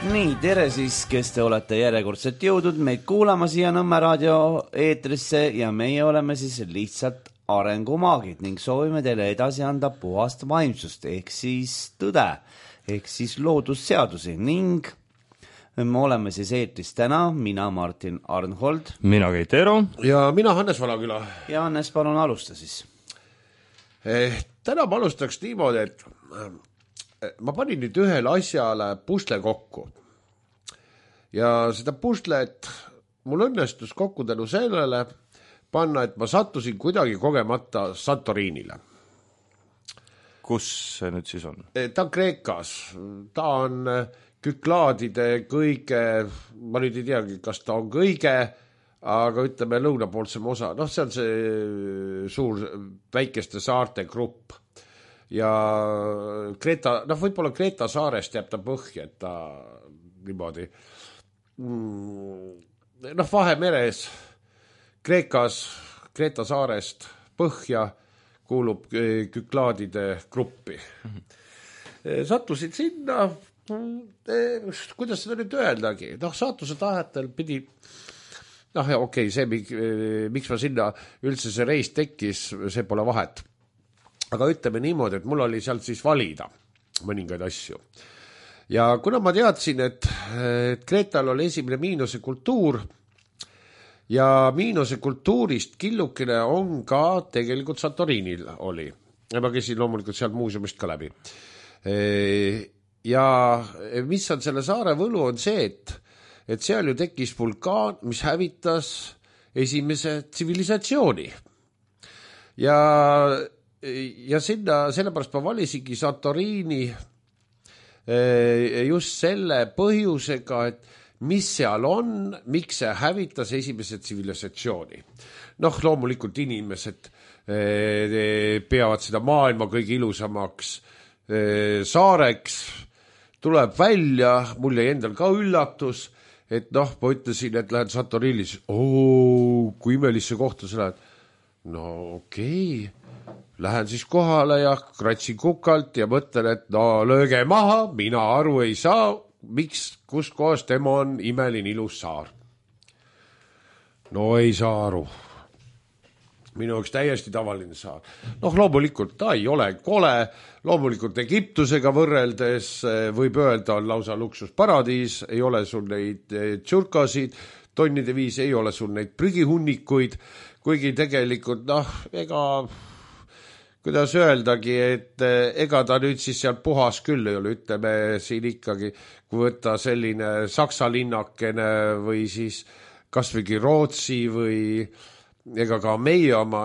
Nii, tere siis, kes te olete järjekordselt jõudnud meid kuulama siia Nõmme raadio eetrisse ja meie oleme siis lihtsalt arengumaagid ning soovime teile edasi anda puhast vaimsust ehk siis tõde ehk siis loodusseadusi ning me oleme siis eetris täna, mina Martin Arnhold, mina Keit Eero ja mina Hannes Valaküla. Ja Hannes, palun alusta siis. Täna ma alustaks niimoodi, et ma panin nüüd ühele asjale pusle kokku ja seda puslet mul õnnestus kokku tänu sellele panna, et ma sattusin kuidagi kogemata Santorinile. Kus see nüüd siis on? Ta on Kreekas, ta on Küklaadide kõige, ma nüüd ei teagi, kas ta on kõige, aga ütleme lõunapoolsem osa, see on see suur väikeste saarte grupp. Ja Kreeta, võib-olla Kreeta saarest jääb ta põhja, et ta niimoodi Vahemeres Kreekas, Kreeta saarest põhja kuulub Küklaadide gruppi. Sattusid sinna, kuidas seda nüüd öeldagi, saatuse tahetel pidi see, miks ma sinna üldse see reis tekkis, see pole vahet. Aga ütleme niimoodi, et mul oli sealt siis valida mõningaid asju. Ja kuna ma teadsin, et Kreetal oli esimene miinose kultuur ja miinose kultuurist killukene on ka tegelikult Santorinil oli. Ja ma käisin loomulikult sealt muuseumist ka läbi. Ja mis on selle saare võlu on see, et seal ju tekkis vulkaan, mis hävitas esimese tsivilisatsiooni. Ja sinna, sellepärast ma valisingi Santorini just selle põhjusega, et mis seal on, miks see hävitas esimese tsivilisatsiooni. Loomulikult inimesed peavad seda maailma kõige ilusamaks saareks, tuleb välja, mul jäi endal ka üllatus, et ma ütlesin, et lähen Santorinis, kui imelisse kohta sa lähed. Okei. Lähen siis kohale ja kratsin kukalt ja mõtlen, et lööge maha, mina aru ei saa, miks, kus kohas tema on imeline ilus saar. Ei saa aru. Minu üks täiesti tavaline saar. Loomulikult ta ei ole kole, loomulikult Egiptusega võrreldes võib öelda on lausa luksusparadiis, ei ole sul neid tšurkasid, tonnide viis ei ole sul neid prügihunnikuid, kuigi tegelikult kuidas öeldagi, et ega ta nüüd siis seal puhas küll ei ole, ütleme siin ikkagi, kui võtta selline Saksa linnakene või siis kasvõigi Rootsi või ega ka meie oma,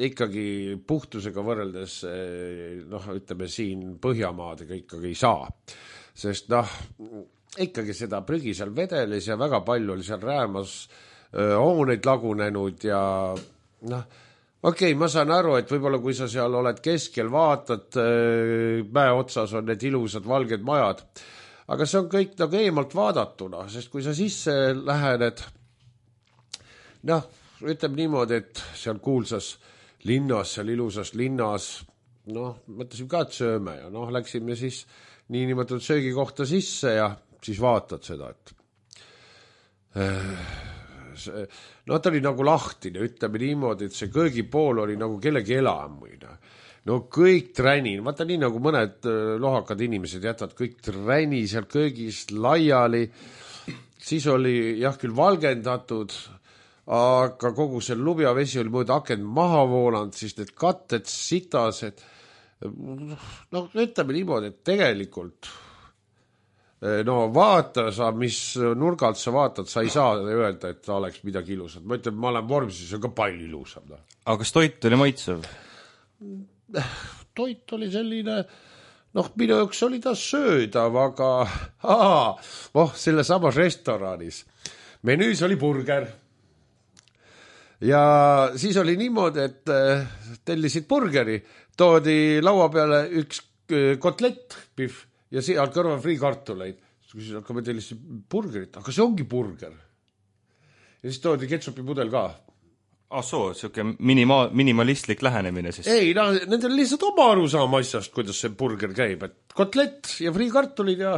ikkagi puhtusega võrreldes, ütleme siin Põhjamaadega ikkagi ei saa. Sest ikkagi seda prügi seal vedelis ja väga palju oli seal räämas hooneid lagunenud ja Okei, ma saan aru, et võib-olla kui sa seal oled keskel, vaatad, mäe otsas on need ilusad valged majad, aga see on kõik eemalt vaadatuna, sest kui sa sisse lähened, ütleme niimoodi, et seal kuulsas linnas, seal ilusas linnas, mõtlesin ka, et sööme ja läksime siis niinimetatud söögikohta sisse ja siis vaatad seda, et ta oli nagu lahtine, ütleme niimoodi, et see köögipool oli nagu kellegi elamuina. Kõik träni, vaata nii nagu mõned lohakad inimesed jätavad kõik träni seal köögist laiali, siis oli küll valgendatud, aga kogu see lubjavesi oli mööda akent maha voolanud, siis need katted sitased, ütleme niimoodi, et tegelikult vaata sa, mis nurgalt sa vaatad, sa ei saa öelda, et ta oleks midagi ilusat. Ma ütlen, ma olen vormis, see on ka palju ilusam. Aga kas toit oli maitsev? Toit oli selline, minu jaoks oli ta söödav, aga selle samas restoranis. Menüüs oli burger. Ja siis oli niimoodi, et tellisid burgeri, toodi laua peale üks kotlett, pihv, ja seal kõrval friikartuleid. Siis hakkame tellisid burgerit, aga see ongi burger. Ja siis toodi ketsupi pudel ka. Siuke minimalistlik lähenemine siis. Ei, nendel lihtsalt oma arusaama asjast, kuidas see burger käib. Et kotlet ja friikartulid ja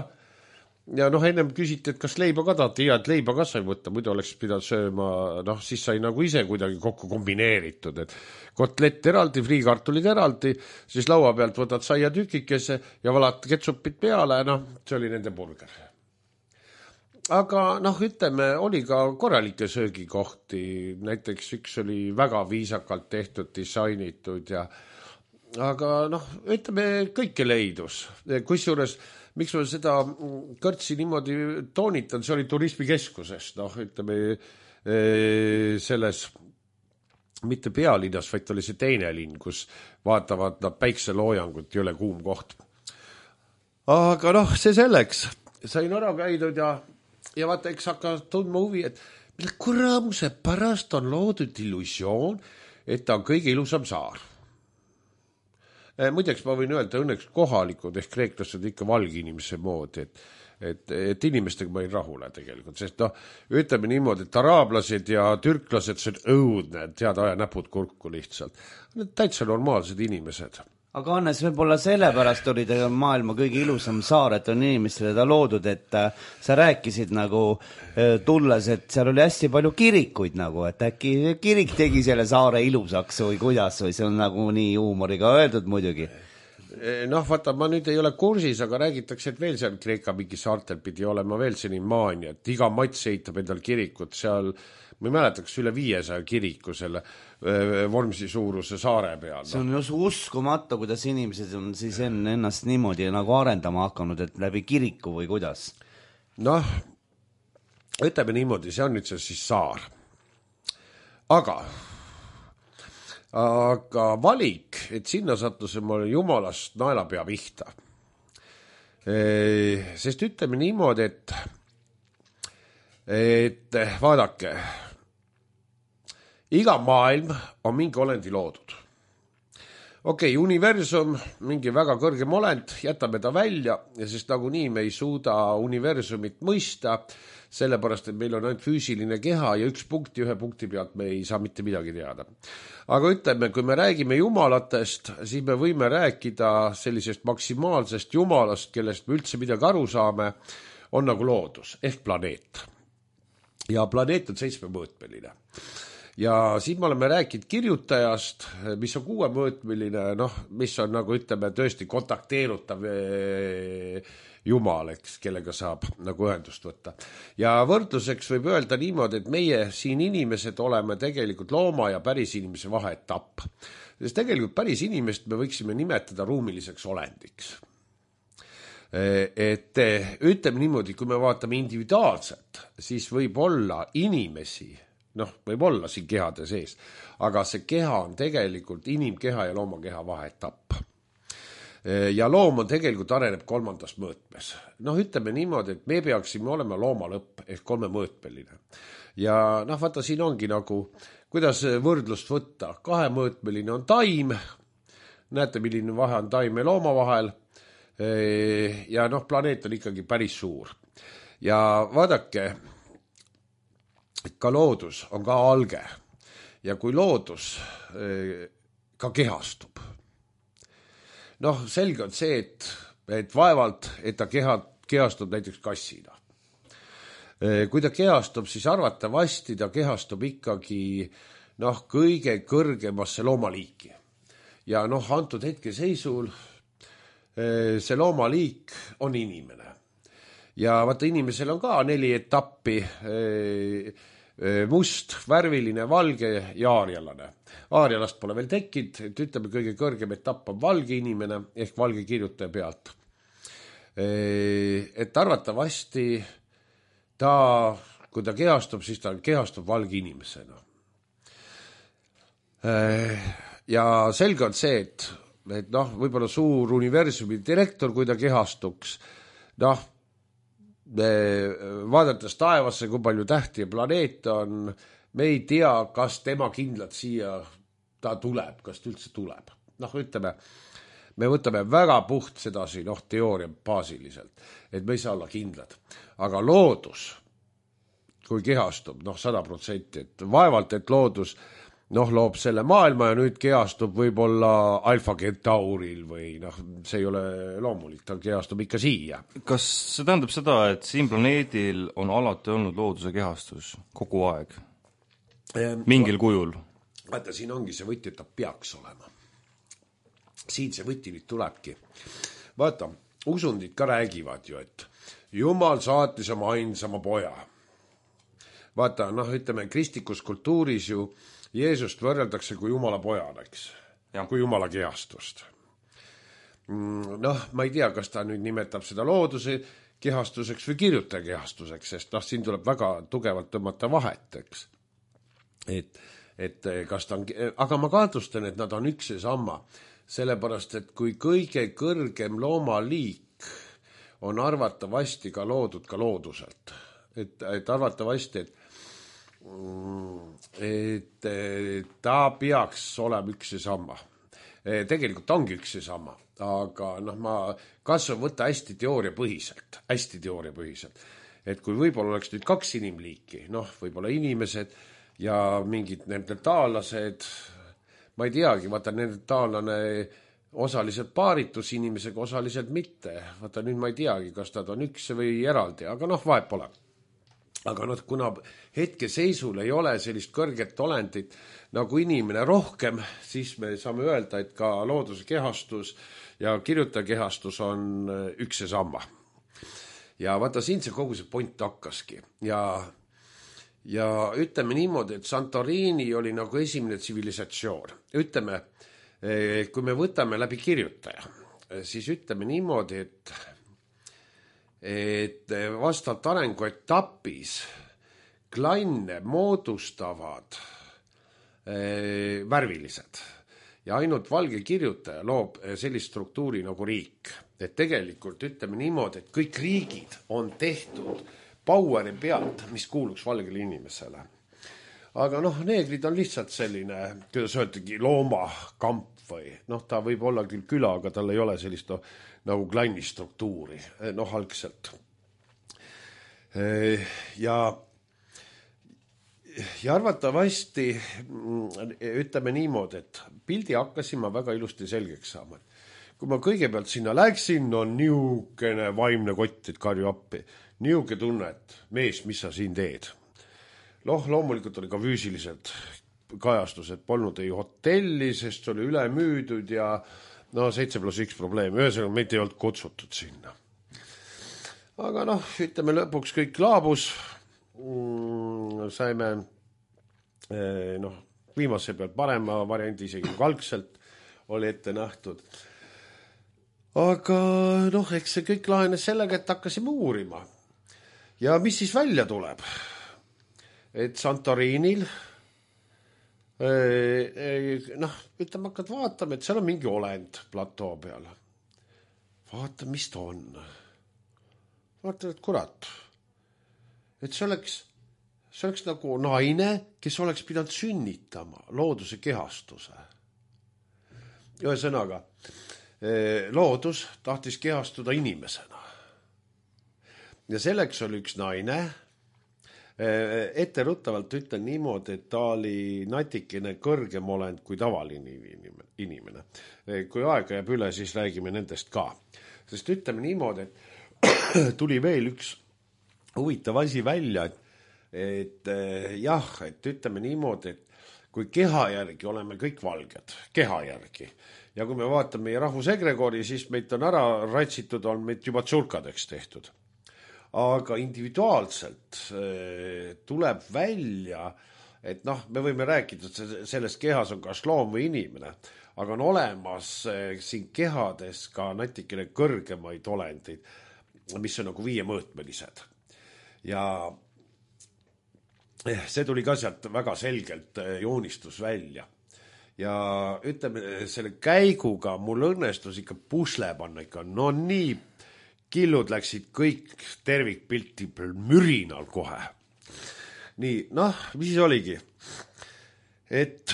ja noh, ennem küsiti, et kas leiba ka tahate, ja et leiba ka sai võtta, muidu oleks pidanud sööma, noh, siis sai nagu ise kuidagi kokku kombineeritud, et kotlett eraldi, friikartulid eraldi, siis laua pealt võtad saia tükikese ja valad ketsupit peale, noh, see oli nende burger. Aga noh, ütleme, oli ka korralikke söögikohti, näiteks üks oli väga viisakalt tehtud, disainitud ja aga noh, ütleme, kõike leidus. Kusjuures, miks ma seda kõrtsi niimoodi toonitan, see oli turismikeskuses, noh, ütleme, selles mitte pealinnas, vaid oli see teine linn, kus vaatavad nad päikseloojangut, jõle kuum koht. Aga noh, see selleks. Sain ära käidud ja vaata, eks hakka tundma huvi, et mille kuramuse pärast on loodud illusioon, et ta on kõige ilusam saar. Muideks ma võin öelda, õnneks kohalikud ehk kreeklased ikka valge inimese moodi, et inimestega ma ei rahule tegelikult, sest noh, ütleme niimoodi, et araablased ja türklased, see on õudne, tead, aja näpud kurku lihtsalt. Need täitsa normaalsed inimesed. Aga Hannes, võib-olla sellepärast oli ta maailma kõige ilusam saar, et on inimestele ta loodud, et sa rääkisid nagu tulles, et seal oli hästi palju kirikuid nagu, et äkki kirik tegi selle saare ilusaks või kuidas, või see on nagu nii huumoriga öeldud muidugi. Noh, vaata, ma nüüd ei ole kursis, aga räägitakse, et veel seal Kreeka mingi saartel pidi olema veel selline maania, et iga mats eitab endal kirikut seal, ma ei mäletaks üle 500 kiriku selle Vormsi suuruse saare peal. See on just uskumatu, kuidas inimesed on siis ennast niimoodi nagu arendama hakanud, et läbi kiriku või kuidas? Noh, ütleme niimoodi, see on nüüd see siis saar. Aga valik, et sinna sattusime mul jumalast naelapea pihta. Sest ütleme niimoodi, et vaadake, iga maailm on mingi olendi loodud. Okei, universum, mingi väga kõrgem olend, jätame ta välja, ja sest nagunii me ei suuda universumit mõista, sellepärast, et meil on ainult füüsiline keha ja ühe punkti pealt me ei saa mitte midagi teada. Aga ütleme, kui me räägime jumalatest, siis me võime rääkida sellisest maksimaalsest jumalast, kellest me üldse midagi aru saame, on nagu loodus ehk planeet. Ja planeet on 7-mõõtmeline. Ja siin me oleme rääkinud kirjutajast, mis on 6-mõõtmeline, noh, mis on nagu ütleme tõesti kontakteerutav jumal, eks, kellega saab nagu ühendust võtta. Ja võrdluseks võib öelda niimoodi, et meie siin inimesed oleme tegelikult looma ja päris inimese vaheetapp. Sest tegelikult päris inimest me võiksime nimetada ruumiliseks olendiks. Et ütleme niimoodi, kui me vaatame individuaalselt, siis võib olla inimesi, noh, võib olla siin kehade sees, aga see keha on tegelikult inimkeha ja loomakeha vaheetapp. Ja loom on tegelikult areneb 3. mõõtmes. Noh, ütleme niimoodi, et me peaksime olema looma lõpp ehk 3-mõõtmeline. Ja noh, vaata, siin ongi nagu, kuidas võrdlust võtta. 2-mõõtmeline on taim, näete, milline vahe on taim ja looma vahel, ja noh, planeet on ikkagi päris suur. Ja vaadake, ka loodus on ka alge ja kui loodus ka kehastub, noh, selge on see, et vaevalt, et ta kehastub näiteks kassina. Kui ta kehastub, siis arvatavasti ta kehastub ikkagi noh, kõige kõrgemasse loomaliiki. Ja noh, antud hetke seisul see loomaliik on inimene. Ja vaata, inimesel on ka 4 etappi, must, värviline, valge ja aarjalane. Aarjalast pole veel tekkinud, et ütleme, kõige kõrgem etapp on valge inimene ehk valge kirjutaja pealt. Et arvatavasti ta, kui ta kehastub, siis ta kehastub valge inimesena. Ja selge on see, et noh, võib-olla suur universumi direktor, kui ta kehastuks, noh, vaadates taevasse, kui palju tähti ja planeet on, me ei tea, kas tema kindlalt siia ta tuleb, kas ta üldse tuleb. Noh, ütleme, me võtame väga puht sedasi, noh, teooria baasiliselt, et me ei saa olla kindlad. Aga loodus, kui kehastub, noh, 100%, et vaevalt, et loodus noh, loob selle maailma ja nüüd kehastub võib-olla Alfa Centauril või noh, see ei ole loomulik, ta kehastub ikka siia. Kas see tähendab seda, et siin planeedil on alati olnud looduse kehastus kogu aeg? Mingil kujul? Vaata, siin ongi see võti, et ta peaks olema. Siin see võti nüüd tulebki. Vaata, usundid ka räägivad ju, et Jumal saatis oma ainsama poja. Vaata, noh, ütleme, kristlikus kultuuris ju Jeesust võrreldakse kui Jumala pojadeks, kui Jumala kehastust. Noh, ma ei tea, kas ta nüüd nimetab seda looduse kehastuseks või kirjutaja kehastuseks, sest noh, siin tuleb väga tugevalt tõmmata vahet, eks. Et kas ta on, aga ma kahtlustan, et nad on üks ja sama, sellepärast, et kui kõige kõrgem loomaliik on arvatavasti ka loodud ka looduselt, et arvatavasti, et ta peaks olema üks ja sama. Tegelikult ongi üks ja sama, aga noh, ma kasvan võtta hästi teooriapõhiselt, et kui võib-olla oleks nüüd 2 inimliiki, noh, võib-olla inimesed ja mingid neandertaallased, ma ei teagi, vaata, neandertaallane osaliselt paaritus inimesega, osaliselt mitte. Vaata, nüüd ma ei teagi, kas nad on üks või eraldi, aga noh, vahet pole. Aga noh, kuna hetkeseisul ei ole sellist kõrget olendit nagu inimene rohkem, siis me saame öelda, et ka looduse kehastus ja kirjutaja kehastus on üks ja sama. Ja vaata, siin see kogu see point hakkaski. Ja ütleme niimoodi, et Santorini oli nagu esimene tsivilisatsioon. Ütleme, kui me võtame läbi kirjutaja, siis ütleme niimoodi, et vastavalt arenguetapis klanne moodustavad värvilised ja ainult valge kirjutaja loob sellist struktuuri nagu riik. Et tegelikult ütleme niimoodi, et kõik riigid on tehtud poweri pealt, mis kuuluks valgele inimesele. Aga noh, neegrid on lihtsalt selline, kuidas öeldagi, loomakamp või noh, ta võib olla küll küla, aga tal ei ole sellist nagu klannistruktuuri, noh, algselt. Ja arvatavasti ütleme niimoodi, et pildi hakkasin ma väga ilusti selgeks saama. Kui ma kõigepealt sinna läksin, on niukene vaimne kott, et karju appi. Niuke tunne, et mees, mis sa siin teed? Loomulikult oli ka füüsiliselt kajastused, polnud ei hotelli, sest oli üle müüdud ja no 7+1 probleem. Ühesõnaga, meid ei olnud kutsutud sinna. Aga noh, ütleme lõpuks kõik laabus. Saime noh, viimase pealt parema variandi, isegi kui algselt oli ette nähtud. Aga noh, eks see kõik lahenes sellega, et hakkasime uurima. Ja mis siis välja tuleb? Et Santorinil noh, ütleme, hakkad vaatama, et seal on mingi olend platoo peal. Vaata, mis ta on. Vaata, et kurat. Et see oleks nagu naine, kes oleks pidanud sünnitama looduse kehastuse. Ühesõnaga, loodus tahtis kehastuda inimesena. Ja selleks oli üks naine, etteruttavalt ütlen niimoodi, et ta oli natikene kõrgem olend kui tavaline inimene. Kui aega jääb üle, siis räägime nendest ka. Sest ütleme niimoodi, et tuli veel üks huvitav asi välja, et jah, et ütleme niimoodi, et kui keha järgi oleme kõik valged, keha järgi. Ja kui me vaatame meie rahvusegregori, siis meid on ära ratsitud, on meid juba tsulkadeks tehtud. Aga individuaalselt tuleb välja, et noh, me võime rääkida, et selles kehas on kas loom või inimene, aga on olemas siin kehades ka natikene kõrgemaid olendeid, mis on nagu 5-mõõtmelised. Ja see tuli ka sealt väga selgelt joonistus välja. Ja ütleme, selle käiguga mul õnnestus ikka pusle panna ikka, no nii killud läksid kõik tervikpilti mürinal kohe. Nii, noh, mis siis oligi? Et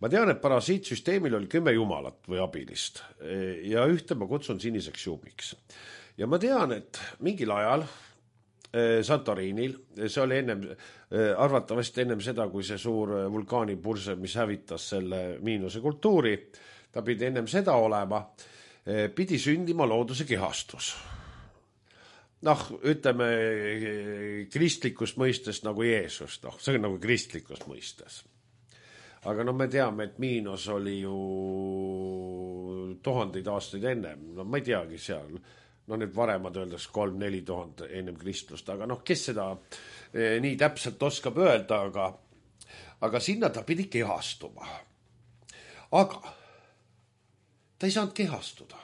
ma tean, et parasiitsüsteemil oli 10 jumalat või abilist ja ühte ma kutsun siniseks juumiks. Ja ma tean, et mingil ajal Santorinil, see oli arvatavasti ennem seda, kui see suur vulkaanipurse, mis hävitas selle Miinose kultuuri, ta pidi ennem seda olema, pidi sündima looduse kehastus. Noh, ütleme kristlikust mõistes nagu Jeesus, see on nagu kristlikust mõistes. Aga me teame, et Miinos oli ju 1000 aastaid ennem, ma ei teagi seal, need varemad öeldes 3-4 000 ennem Kristlust, aga kes seda nii täpselt oskab öelda, aga sinna ta pidi kehastuma. Aga ta ei saanud kehastuda.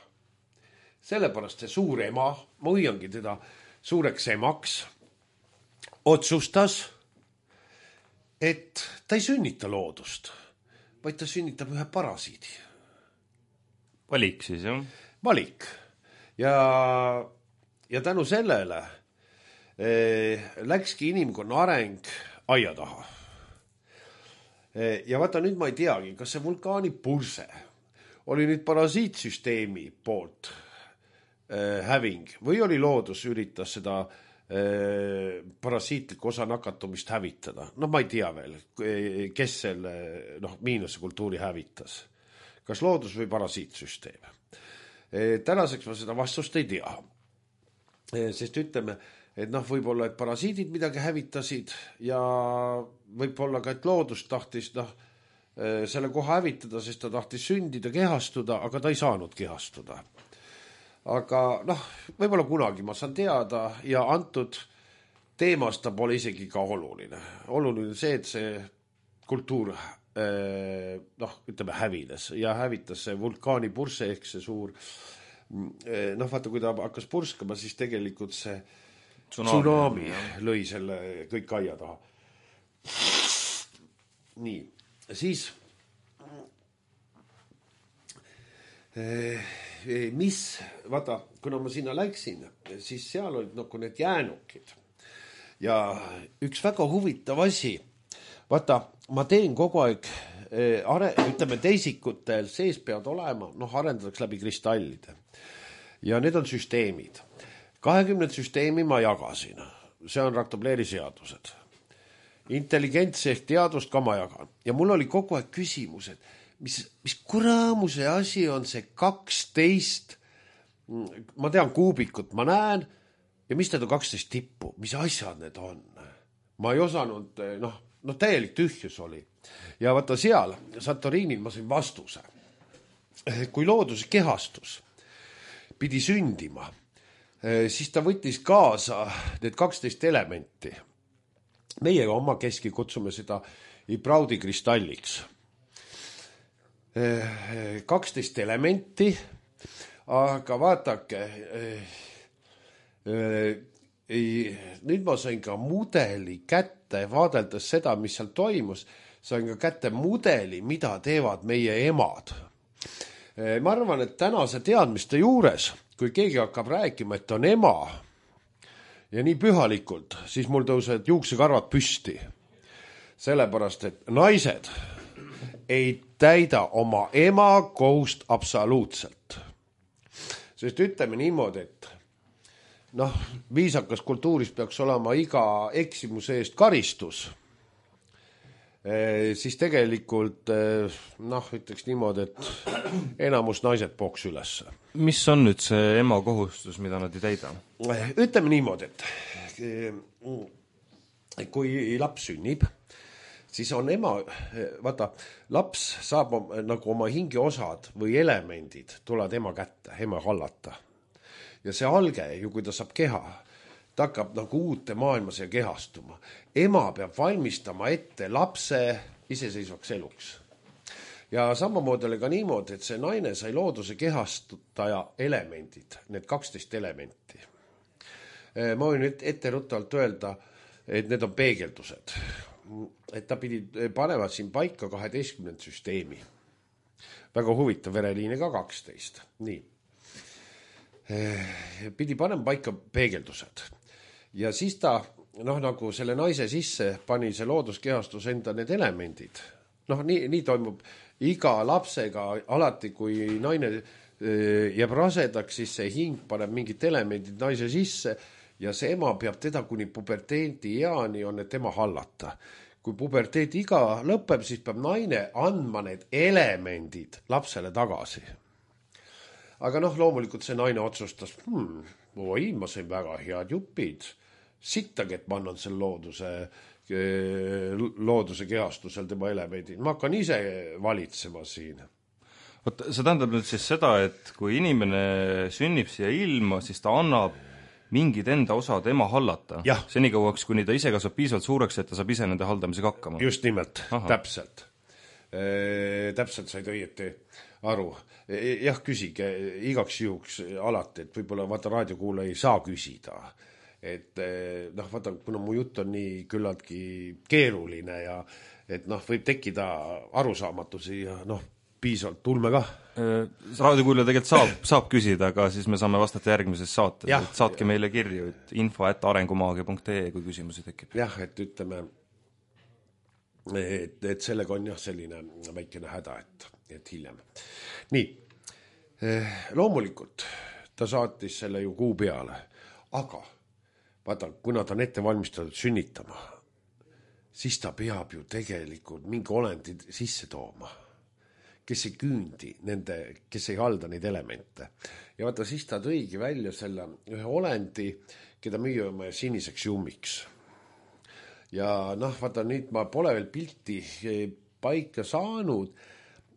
Sellepärast see suur ema, ma hoiangi teda suureks emaks, otsustas, et ta ei sünnita loodust, vaid ta sünnitab ühe parasiidi. Valik siis, jah? Valik. Ja tänu sellele läkski inimkonna areng aia taha. Ja vaata, nüüd ma ei teagi, kas see vulkaanipurse oli nüüd parasiitsüsteemi poolt häving või oli loodus üritas seda parasiitlikku osa nakatumist hävitada. Ma ei tea veel, kes selle Miinose kultuuri hävitas. Kas loodus või parasiitsüsteem? Tänaseks ma seda vastust ei tea. Sest ütleme, et võib-olla, et parasiidid midagi hävitasid ja võib-olla ka, et loodus tahtis selle koha hävitada, sest ta tahtis sündida, kehastuda, aga ta ei saanud kehastuda. Aga võib-olla kunagi ma saan teada ja antud teemast ta pole isegi ka oluline. Oluline see, et see kultuur ütleme hävines ja hävitas see vulkaanipurse ehk see suur vaata, kui ta hakkas purskama, siis tegelikult see tsunami lõi selle kõik aia taha. Nii, siis vaata, kuna ma sinna läksin, siis seal olid need jäänukid ja üks väga huvitav asi, vaata, ma teen kogu aeg, ütleme teisikutel sees peavad olema, arendatakse läbi kristallide ja need on süsteemid. 20 süsteemi ma jagasin, see on Raktobleri seadused. Intelligentsi ehk teadust ka ma jagan ja mul oli kogu aeg küsimus, et mis kuramuse asi on see 12, ma tean kuubikut, ma näen ja mis need on 12 tippu, mis asjad need on? Ma ei osanud, täielik tühjus oli. Ja vaata seal, Santorinil ma sain vastuse. Kui looduse kehastus pidi sündima, siis ta võttis kaasa need 12 elementi. Meie oma keski kutsume seda Ibraudi kristalliks. 12 elementi, aga vaatake, nüüd ma sain ka mudeli kätte, vaadeldes seda, mis seal toimus, sain ka kätte mudeli, mida teevad meie emad. Ma arvan, et tänase teadmiste juures, kui keegi hakkab rääkima, et on ema ja nii pühalikult, siis mul tõusevad juuksekarvad püsti. Sellepärast, et naised ei täida oma ema kohust absoluutselt. Sest ütleme niimoodi, et viisakas kultuuris peaks olema iga eksimuse eest karistus, siis tegelikult ütleks niimoodi, et enamus naised pooks üles. Mis on nüüd see ema kohustus, mida nad ei täida? Ütleme niimoodi, et kui laps sünnib, siis on ema, vaata, laps saab nagu oma hingeosad või elemendid tulevad ema kätte, ema hallata. Ja see alge, kui ta saab keha, ta hakkab nagu uute maailmas ja kehastuma. Ema peab valmistama ette lapse iseseisvaks eluks. Ja samamoodi oli ka niimoodi, et see naine sai looduse kehastutaja elemendid, need 12 elementi. Ma võin ette ruttavalt öelda, et need on peegeldused. Et ta pidi panevad siin paika 12 süsteemi. Väga huvitav, vereliine ka 12. Nii. Pidi panema paika peegeldused. Ja siis ta, nagu selle naise sisse pani see looduskehastus enda need elemendid. Nii toimub iga lapsega, alati kui naine jääb rasedaks, siis see hing paneb mingid elemendid naise sisse ja see ema peab teda kuni puberteedi eani on need tema hallata. Kui puberteedi iga lõpeb, siis peab naine andma need elemendid lapsele tagasi. Aga loomulikult see naine otsustas, oi, ma sain väga head jupid, sittagi, et ma annan selle looduse kehastusel tema elemendid. Ma hakkan ise valitsema siin. Oot, see tähendab nüüd siis seda, et kui inimene sünnib siia ilma, siis ta annab mingid enda osad ema hallata. Senikauaks, kuni ta ise kasvab piisavalt suureks, et ta saab ise nende haldamisega hakkama. Just nimelt, täpselt. Täpselt said õieti aru. Jah, küsige igaks juhuks alati, et võib-olla vaata raadiokuule ei saa küsida. Et vaata, kuna mu jutt on nii küllaltki keeruline ja et võib tekkida arusaamatusi ja piisavalt tulme ka. Raadiokuulja tegelikult saab küsida, aga siis me saame vastata järgmises saates. Saatke meile kirju, et info@arengumaagia.ee, kui küsimusi tekib. Jah, et ütleme, et sellega on selline väikene häda, et hiljem. Nii, loomulikult ta saatis selle ju kuu peale, aga vaata, kuna ta on ette valmistatud sünnitama, siis ta peab ju tegelikult mingi olendi sisse tooma, kes ei küündi kes ei halda neid elemente. Ja vaata, siis ta tõigi välja selle ühe olendi, keda müüame siniseks jummiks. Ja vaata, nüüd ma pole veel pilti paika saanud,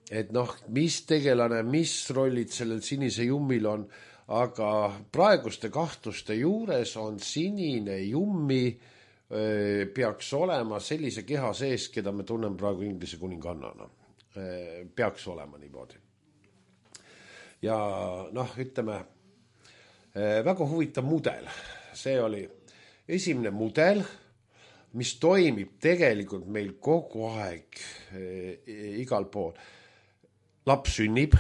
et mis tegelane, mis rollid sellel sinise jummil on, aga praeguste kahtluste juures on sinine jummi peaks olema sellise keha sees, keda me tunneme praegu Inglise kuningannana. Peaks olema niimoodi. Ja ütleme, väga huvitav mudel. See oli esimene mudel, mis toimib tegelikult meil kogu aeg igal pool. Laps sünnib,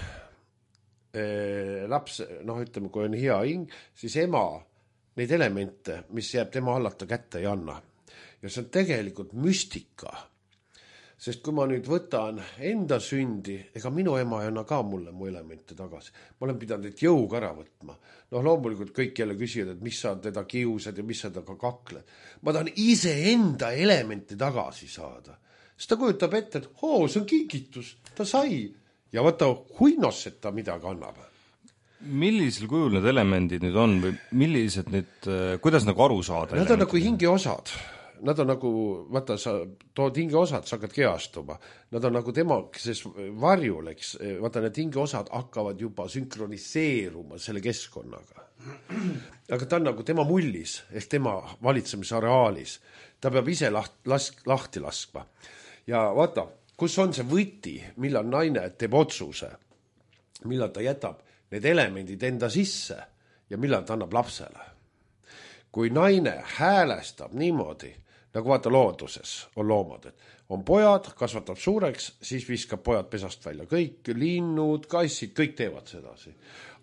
laps, ütleme, kui on hea hing, siis ema neid elemente, mis jääb tema hallata kätte ei anna. Ja see on tegelikult müstika. Sest kui ma nüüd võtan enda sündi, ega minu ema ei anna ka mulle mu elemente tagasi. Ma olen pidanud neid jõuga ära võtma. Loomulikult kõik jälle küsivad, et mis sa teda kiusad ja mis sa temaga kakled. Ma tahan ise enda elemente tagasi saada. Sest ta kujutab ette, et see on kingitus, ta sai. Ja vaata, huinos, et ta midagi annab. Millisel kujul need elemendid nüüd on või millised need, kuidas aru saada? Nad on nagu hingeosad. Nad on nagu, vaata, sa tood hingeosad, sa hakkad kehastuma. Nad on nagu temakeses varjul, eks. Vaata, need hingeosad hakkavad juba sünkroniseeruma selle keskkonnaga. Aga ta on nagu tema mullis, ehk tema valitsemisareaalis. Ta peab ise lahti laskma. Ja vaata, kus on see võti, millal naine teeb otsuse, millal ta jätab need elemendid enda sisse ja millal ta annab lapsele. Kui naine häälestab niimoodi, nagu vaata looduses on loomad, et on pojad, kasvatab suureks, siis viskab pojad pesast välja. Kõik linnud, kassid, kõik teevad sedasi.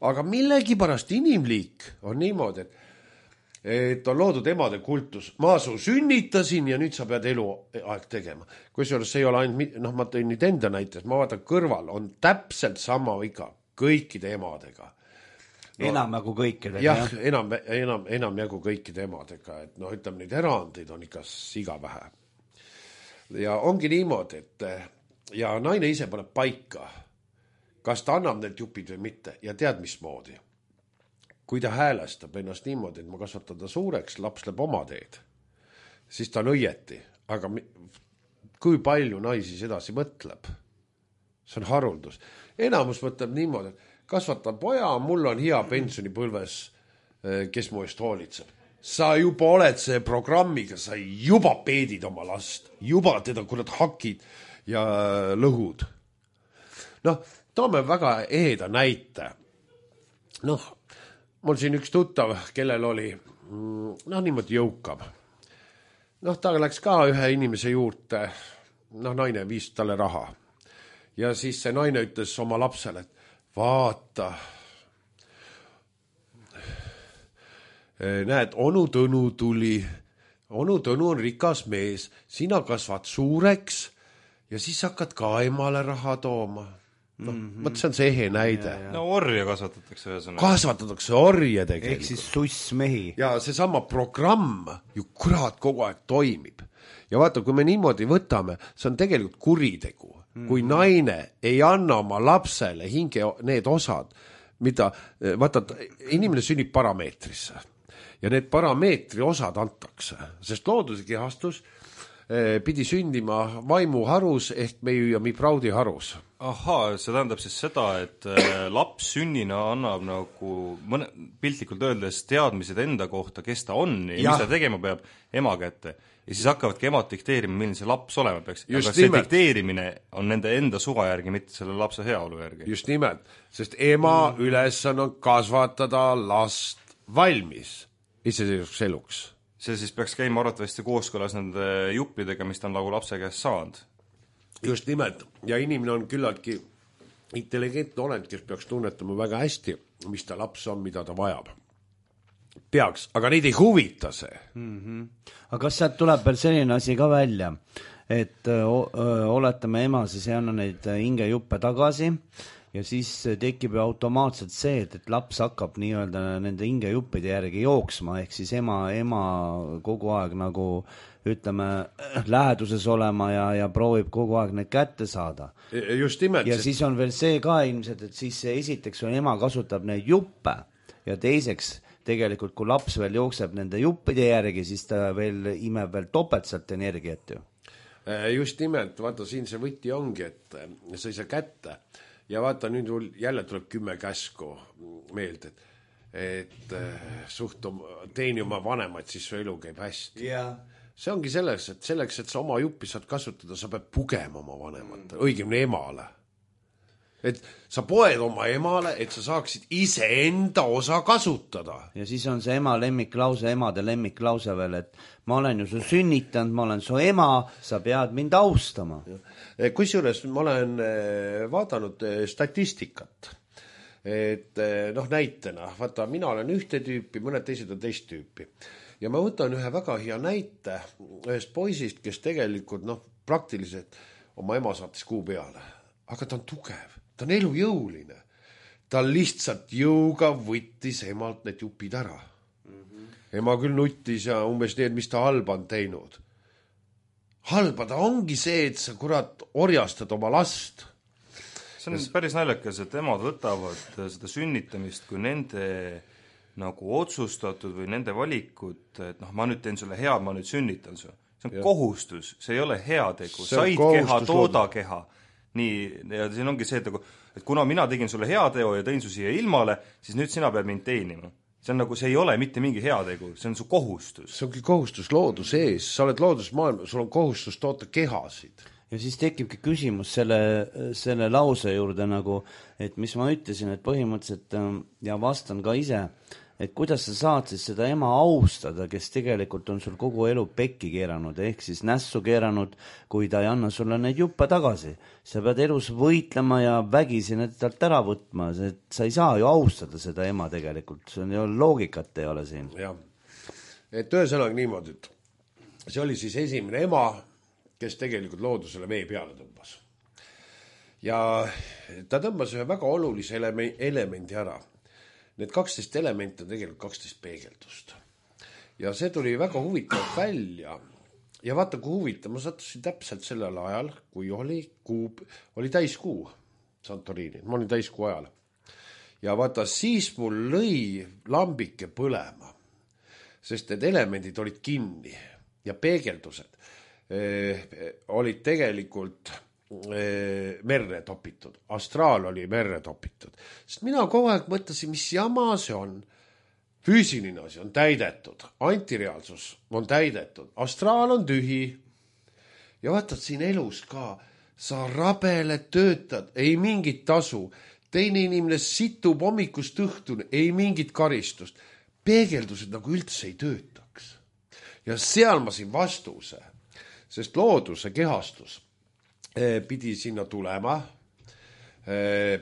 Aga millegipärast inimliik on niimoodi, et on loodud emade kultus. Ma su sünnitasin ja nüüd sa pead eluaeg tegema. Kusjuures see ei ole ainult, ma tõin nüüd enda näites, ma vaatan kõrval, on täpselt sama viga kõikide emadega. Enamjagu kõikidega. Jah, enamjagu kõikide emadega, et ütleme, neid erandeid on ikka siga vähe. Ja ongi niimoodi, et ja naine ise paneb paika, kas ta annab need jupid või mitte ja tead mismoodi. Kui ta häälestab ennast niimoodi, et ma kasvatan ta suureks, laps läheb oma teed, siis ta on õieti, aga kui palju naisi sedasi mõtleb? See on haruldus. Enamus mõtleb niimoodi, et kasvatan poja, mul on hea pensionipõlves, kes mu eest hoolitseb. Sa juba oled see programmiga, sa juba peedid oma last, juba teda kurat hakid ja lõhud. Toome väga eheda näite. Mul siin üks tuttav, kellel oli niimoodi jõukam. Ta läks ka ühe inimese juurde, naine viis talle raha. Ja siis see naine ütles oma lapsele, et vaata, näed, onu Tõnu tuli, onu Tõnu on rikas mees, sina kasvad suureks ja siis hakkad ka emale raha tooma. Võt see on see ehe näide. No orja kasvatatakse ühesõnaga. Kasvatatakse orje tegelikult. Ehk siis sussmehi. Ja see sama programm ju kurat kogu aeg toimib. Ja vaata, kui me niimoodi võtame, see on tegelikult kuritegu. Kui naine ei anna oma lapsele hinge need osad, mida, vaata, inimene sünnib parameetrisse ja need parameetri osad antakse, sest looduse kehastus pidi sündima vaimuharus ehk meiu ja mipraudi harus. Ahaa, see tähendab siis seda, et laps sünnina annab nagu piltlikult öeldes teadmised enda kohta, kes ta on ja mis ta tegema peab ema kätte. Ja siis hakkavadki emad dikteerima, milline see laps olema peaks. Aga see dikteerimine on nende enda suva järgi, mitte selle lapse heaolu järgi. Just nimelt, sest ema ülesanne on kasvatada last valmis iseseisvuks eluks. See siis peaks käima arvatavasti kooskõlas nende juppidega, mis ta on nagu lapse käest saanud. Just nimelt, ja inimene on küllaltki intelligentne olend, kes peaks tunnetama väga hästi, mis ta laps on, mida ta vajab. Peaks, aga neid ei huvita see. Aga kas sealt tuleb veel selline asi ka välja, et oletame ema siis ei anna neid hingejuppe tagasi ja siis tekib ju automaatselt see, et laps hakkab nii-öelda nende hingejuppide järgi jooksma, ehk siis ema kogu aeg nagu ütleme läheduses olema ja proovib kogu aeg need kätte saada. Just nimelt. Ja siis on veel see ka ilmselt, et siis esiteks on ema kasutab neid juppe ja teiseks tegelikult, kui laps veel jookseb nende juppide järgi, siis ta veel imeb veel topeltselt energiat ju. Just nimelt, vaata siin see võti ongi, et sa ei saa kätte ja vaata nüüd jälle tuleb 10 käsku meelde, et teeni oma vanemaid, siis su elu käib hästi. See ongi selleks, et sa oma juppi saad kasutada, sa pead pugema oma vanemate, õigemini emale. Et sa poed oma emale, et sa saaksid ise enda osa kasutada. Ja siis on see ema lemmiklause, emade lemmiklause veel, et ma olen ju su sünnitanud, ma olen su ema, sa pead mind austama. Kusjuures ma olen vaadanud statistikat, et näitena, vaata, mina olen ühte tüüpi, mõned teised on teist tüüpi. Ja ma võtan ühe väga hea näite ühest poisist, kes tegelikult praktiliselt oma ema saatis kuu peale, aga ta on tugev. Ta on elujõuline. Ta lihtsalt jõuga võttis emalt need jupid ära. Ema küll nuttis ja umbes need, mis ta halba on teinud. Halba ta ongi see, et sa kurat orjastad oma last. See on päris naljakas, et emad võtavad seda sünnitamist kui nende nagu otsustatud või nende valikut, et ma nüüd teen sulle head, ma nüüd sünnitan su. See on kohustus, see ei ole heategu. Said keha, tooda keha. Nii, ja siin ongi see, et kuna mina tegin sulle heateo ja tõin su siia ilmale, siis nüüd sina pead mind teenima. See on nagu, see ei ole mitte mingi heategu, see on su kohustus. See ongi kohustus looduse ees, sa oled loodusmaailma, sul on kohustus toota kehasid. Ja siis tekibki küsimus selle lause juurde nagu, et mis ma ütlesin, et põhimõtteliselt ja vastan ka ise, et kuidas sa saad siis seda ema austada, kes tegelikult on sul kogu elu pekki keeranud, ehk siis nässu keeranud, kui ta ei anna sulle neid juppe tagasi. Sa pead elus võitlema ja vägisi need talt ära võtma, sa ei saa ju austada seda ema tegelikult, see on ju loogikat ei ole siin. Jah, et ühesõnaga niimoodi, et see oli siis esimene ema, kes tegelikult loodusele vee peale tõmbas. Ja ta tõmbas ühe väga olulise elemendi ära. Need 12 elementi on tegelikult 12 peegeldust. Ja see tuli väga huvitav välja. Ja vaata, kui huvitav, ma sattusin täpselt sellel ajal, kui oli täiskuu Santorini, ma olin täiskuu ajal. Ja vaata, siis mul lõi lambike põlema, sest need elemendid olid kinni ja peegeldused olid tegelikult merre topitud. Astraal oli merre topitud. Sest mina kogu aeg mõtlesin, mis jama see on. Füüsiline asi on täidetud. Antireaalsus on täidetud. Astraal on tühi. Ja vaatad siin elus ka. Sa rabele töötad. Ei mingit tasu. Teine inimene situb hommikust õhtuni. Ei mingit karistust. Peegeldused nagu üldse ei töötaks. Ja seal ma siin vastuse. Sest looduse kehastus pidi sinna tulema,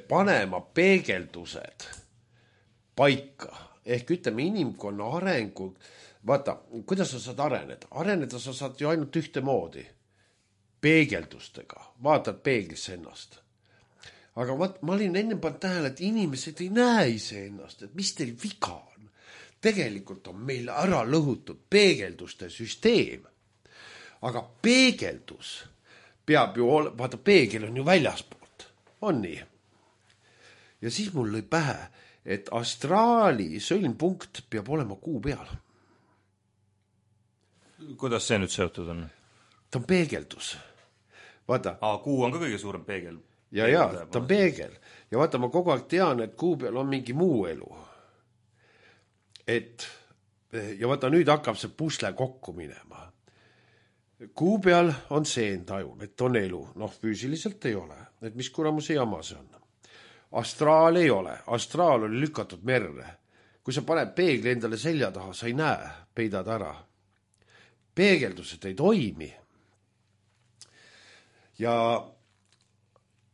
panema peegeldused paika. Ehk ütleme inimkonna arengu, vaata, kuidas sa saad areneda? Areneda sa saad ju ainult ühte moodi. Peegeldustega. Vaatad peeglisse ennast. aga ma olin enne pannud tähele, et inimesed ei näe iseennast, et mis teil viga on. Tegelikult on meil ära lõhutud peegelduste süsteem. Aga peegeldus peab ju vaata, peegel on ju väljaspoolt. On nii? Ja siis mul lõi pähe, et astraali sõlmpunkt peab olema kuu peal. Kuidas see nüüd seotud on? Ta on peegeldus. Vaata. Kuu on ka kõige suurem peegel. Ja, ta on peegel. Ja vaata, ma kogu aeg tean, et kuu peal on mingi muu elu. Ja vaata, nüüd hakkab see pusle kokku minema. Kuu peal on seentajun, et on elu. Füüsiliselt ei ole. Et mis kuramuse jama see on. Astraal ei ole. Astraal oli lükatud merre. Kui sa paned peegli endale selja taha, sa ei näe, peidad ära. Peegeldused ei toimi. Ja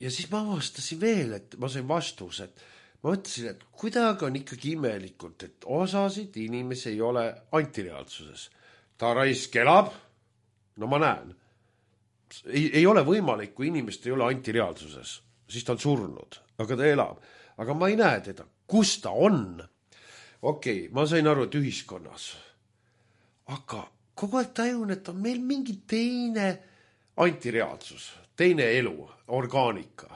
siis ma avastasin veel, et ma sain vastus, et ma mõtlesin, et kuidagi on ikkagi imelikult, et osasid inimesi ei ole antireaalsuses. Ta raisk elab, no ma näen. Ei ole võimalik, kui inimest ei ole antireaalsuses, siis ta on surnud, aga ta elab. Aga ma ei näe teda, kus ta on. Okei, ma sain aru, et ühiskonnas. Aga kogu aeg tajun, et on meil mingi teine antireaalsus, teine elu, orgaanika.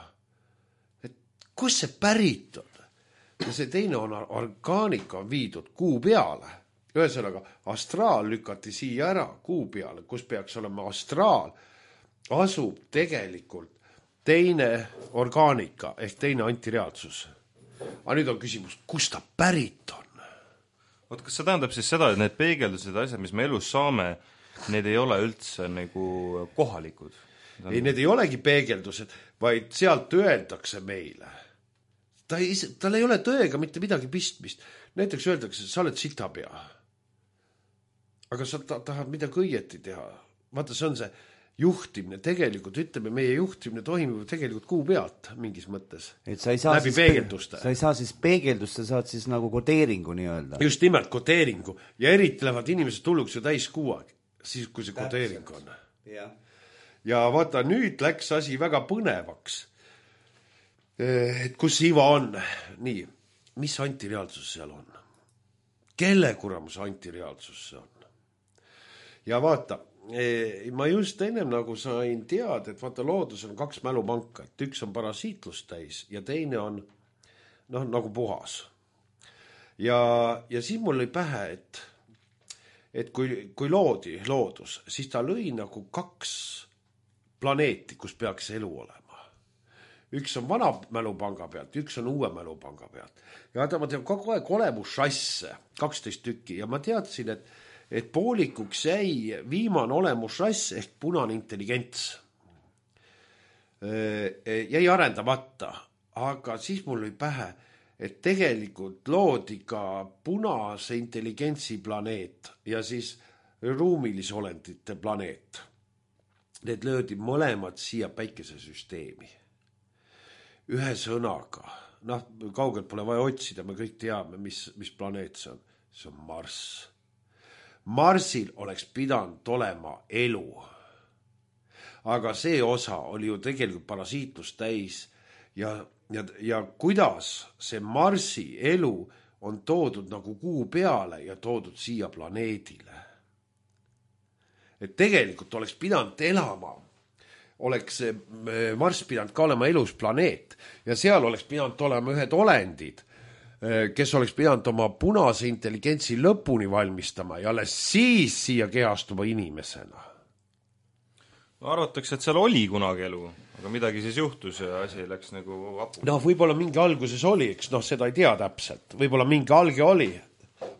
Et kus see pärit on? Ja see teine orgaanika on viidud kuu peale. Ühesõnaga, astraal lükati siia ära kuu peale, kus peaks olema astraal, asub tegelikult teine orgaanika ehk teine antireaalsus. Aga nüüd on küsimus, kus ta pärit on? Kas see tähendab siis seda, et need peegeldused asjad, mis me elus saame, need ei ole üldse nagu kohalikud? Ei, need ei olegi peegeldused, vaid sealt öeldakse meile. Tal ei ole tõega mitte midagi pistmist. Näiteks öeldakse, sa oled sitapea. Aga sa tahad midagi õieti teha. Vaata, see on see juhtimine. Tegelikult, ütleme, meie juhtimine toimub tegelikult kuu pealt mingis mõttes. Et sa ei saa läbi peegelduste. Sa ei saa siis peegeldust, sa saad siis nagu kodeeringu nii öelda. Just nimelt kodeeringu. Ja eriti lähevad inimesed tulluks ju täis kuu aeg, siis kui see kodeering on. Ja vaata, nüüd läks asi väga põnevaks. Et kus Iva on? Nii, mis antireaalsus seal on? Kelle kuramus antireaalsus see on? Ja vaata, ma just ennem nagu sain teada, et vaata, loodus on 2 mälupanka, et üks on parasiitlust täis ja teine on nagu puhas. Ja siis mul lõi pähe, et kui loodi loodus, siis ta lõi nagu 2 planeeti, kus peaks elu olema. Üks on vana mälupanga pealt, üks on uue mälupanga pealt. Ja ma tean kogu aeg olemusrasse, 12 tükki, ja ma teadsin, et poolikuks jäi viimane olemusrass ehk punane intelligents. Jäi arendamata, aga siis mul lõi pähe, et tegelikult loodi ka punase intelligentsi planeet ja siis ruumilisolendite planeet. Need löödi mõlemad siia päikesesüsteemi. Ühe sõnaga, kaugelt pole vaja otsida, me kõik teame, mis planeet see on. See on Marss. Marsil oleks pidanud olema elu. Aga see osa oli ju tegelikult parasiitlust täis ja kuidas see Marsi elu on toodud nagu kuu peale ja toodud siia planeedile. Et tegelikult oleks pidanud elama, oleks Marss pidanud ka olema elus planeet ja seal oleks pidanud olema ühed olendid, kes oleks pidanud oma punase intelligentsi lõpuni valmistama ja alles siis siia kehastuma inimesena. Arvatakse, et seal oli kunagi elu, aga midagi siis juhtus ja asi läks nagu vapu. Võib-olla mingi alguses oli, eks seda ei tea täpselt. Võib-olla mingi alge oli,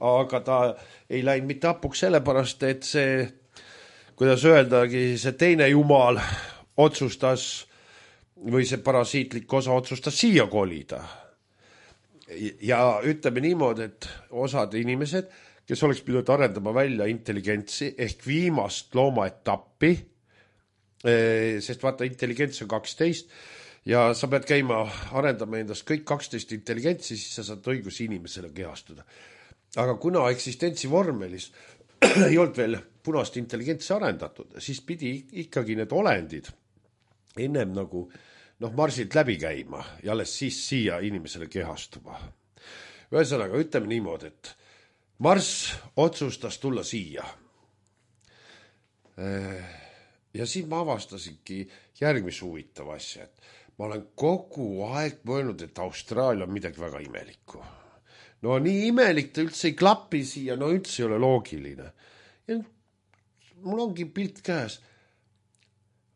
aga ta ei läinud mitte hapuks sellepärast, et see, kuidas öeldagi, see teine jumal otsustas või see parasiitlik osa otsustas siia kolida. Ja ütleme niimoodi, et osad inimesed, kes oleks pidanud arendama välja intelligentsi ehk viimast loomaetappi, sest vaata, intelligents on 12 ja sa pead käima arendama endast kõik 12 intelligentsi, siis sa saad õigus inimesele kehastuda. Aga kuna eksistentsi vormelis ei olnud veel punast intelligentsi arendatud, siis pidi ikkagi need olendid ennem nagu Marsilt läbi käima ja alles siis siia inimesele kehastuma. Ühesõnaga, ütleme niimoodi, et Marss otsustas tulla siia. Ja siis ma avastasingi järgmise huvitava asja, et ma olen kogu aeg mõelnud, et Austraalia on midagi väga imelikku. No nii imelik ta üldse ei klapi siia, no üldse ei ole loogiline. Ja mul ongi pilt käes.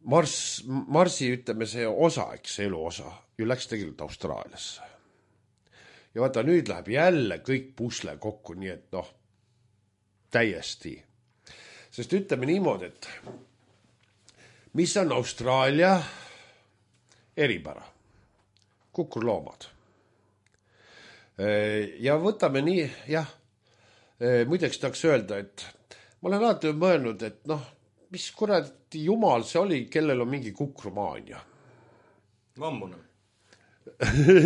Marsi, ütleme, see osa, eks elu osa, ju läks tegelikult Austraaliasse. Ja vaata, nüüd läheb jälle kõik pusle kokku, nii et täiesti. Sest ütleme niimoodi, et mis on Austraalia eripära? Kukurloomad. Ja võtame nii, muideks tahaks öelda, et ma olen alati mõelnud, et mis kuradi jumal see oli, kellel on mingi kukrumaania. Vammune.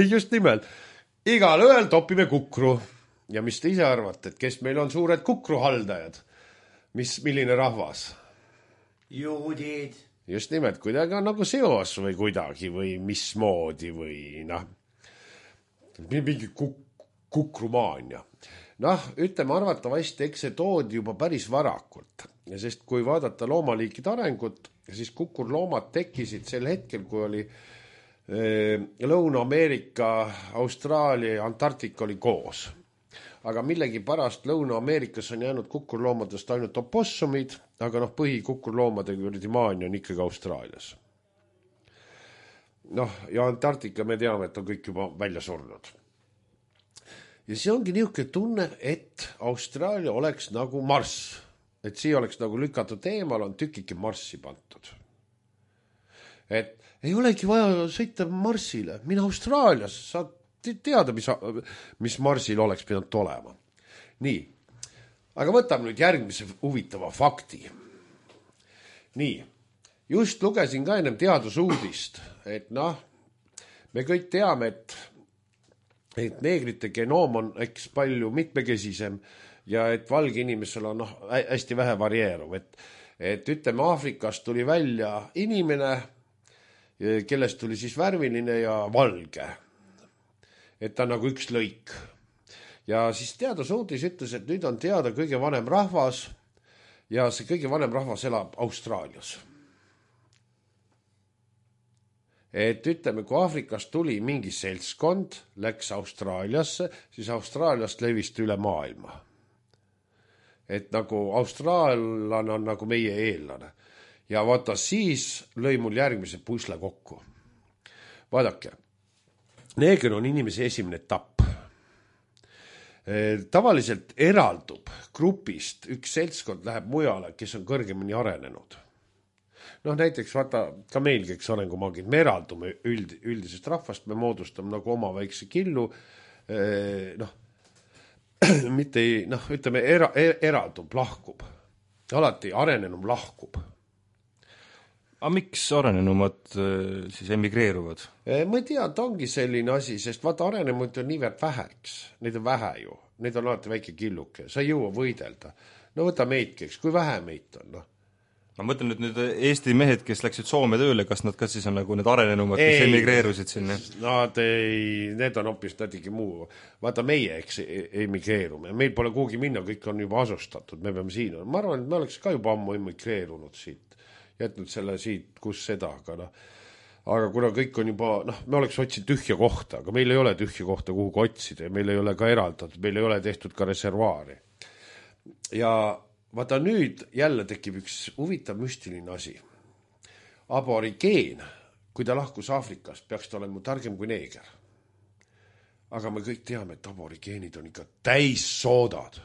Just nimelt. Igal ööl topime kukru. Ja mis te ise arvate, et kes meil on suured kukruhaldajad? Milline rahvas? Juudid. Just nimelt, kuidagi on nagu seos või kuidagi või mismoodi või mingi kukrumaania. Ütleme arvatavasti, eks see toodi juba päris varakult. Sest kui vaadata loomaliikide arengut, siis kukurloomad tekkisid sel hetkel, kui oli Lõuna-Ameerika, Austraalia ja Antarktika oli koos. Aga millegi pärast Lõuna-Ameerikas on jäänud kukurloomadest ainult opossumid, aga põhikukurloomade maania on ikkagi Austraalias. Ja Antarktika me teame, et on kõik juba välja surnud. Ja see ongi niisugune tunne, et Austraalia oleks nagu Marss. Et siia oleks nagu lükatud eemal, on tükike Marssi pantud. Et ei olegi vaja sõita Marsile, mine Austraalias, saad teada, mis Marsil oleks pidanud olema. Nii, aga võtame nüüd järgmise huvitava fakti. Nii, just lugesin ka ennem teadusuudist, et me kõik teame, et neegrite genoom on eks palju mitmekesisem ja et valge inimesel on hästi vähe varieeruv. Et ütleme, Aafrikast tuli välja inimene, kellest tuli siis värviline ja valge. Et ta on nagu üks lõik. Ja siis teadusuudis ütles, et nüüd on teada kõige vanem rahvas ja see kõige vanem rahvas elab Austraalias. Et ütleme, kui Aafrikast tuli mingi seltskond, läks Austraaliasse, siis Austraaliast levist üle maailma. Et nagu austraallane on nagu meie eellane. Ja vaata, siis lõi mul järgmise pusle kokku. Vaadake, neeger on inimese esimene etapp. Tavaliselt eraldub grupist, üks seltskond läheb mujale, kes on kõrgemini arenenud. Näiteks vaata, ka meilgi, eks arengumaagid, me eraldume üldisest rahvast, me moodustame nagu oma väikse killu, mitte ei, ütleme, eraldub, lahkub. Alati arenenum lahkub. Aga miks arenenumad siis emigreeruvad? Ma ei tea, ta ongi selline asi, sest vaata arenemud on niivõrd väheks. Neid on vähe ju. Neid on alati väike killuke. Sa ei jõua võidelda. Võta meidki, kui vähe meid on. Ma mõtlen nüüd Eesti mehed, kes läksid Soome tööle, kas nad ka siis on nagu need arenenumad, kes emigreerusid sinna? Need on hoopis natuke muu. Vaata meie, eks emigreerume. Meil pole kuhugi minna, kõik on juba asustatud. Me peame siin. Ma arvan, et me oleks ka juba ammu emigreerunud siit. Jätnud selle siit, kus seda. Aga kuna kõik on juba, me oleks otsinud tühja kohta, aga meil ei ole tühja kohta kuhugi otsida ja meil ei ole ka eraldatud, meil ei ole tehtud ka reservaari. Ja vaata nüüd jälle tekib üks huvitav müstiline asi. Aborigeen, kui ta lahkus Aafrikast, peaks ta olema targem kui neeger. Aga me kõik teame, et aborigeenid on ikka täis soodad.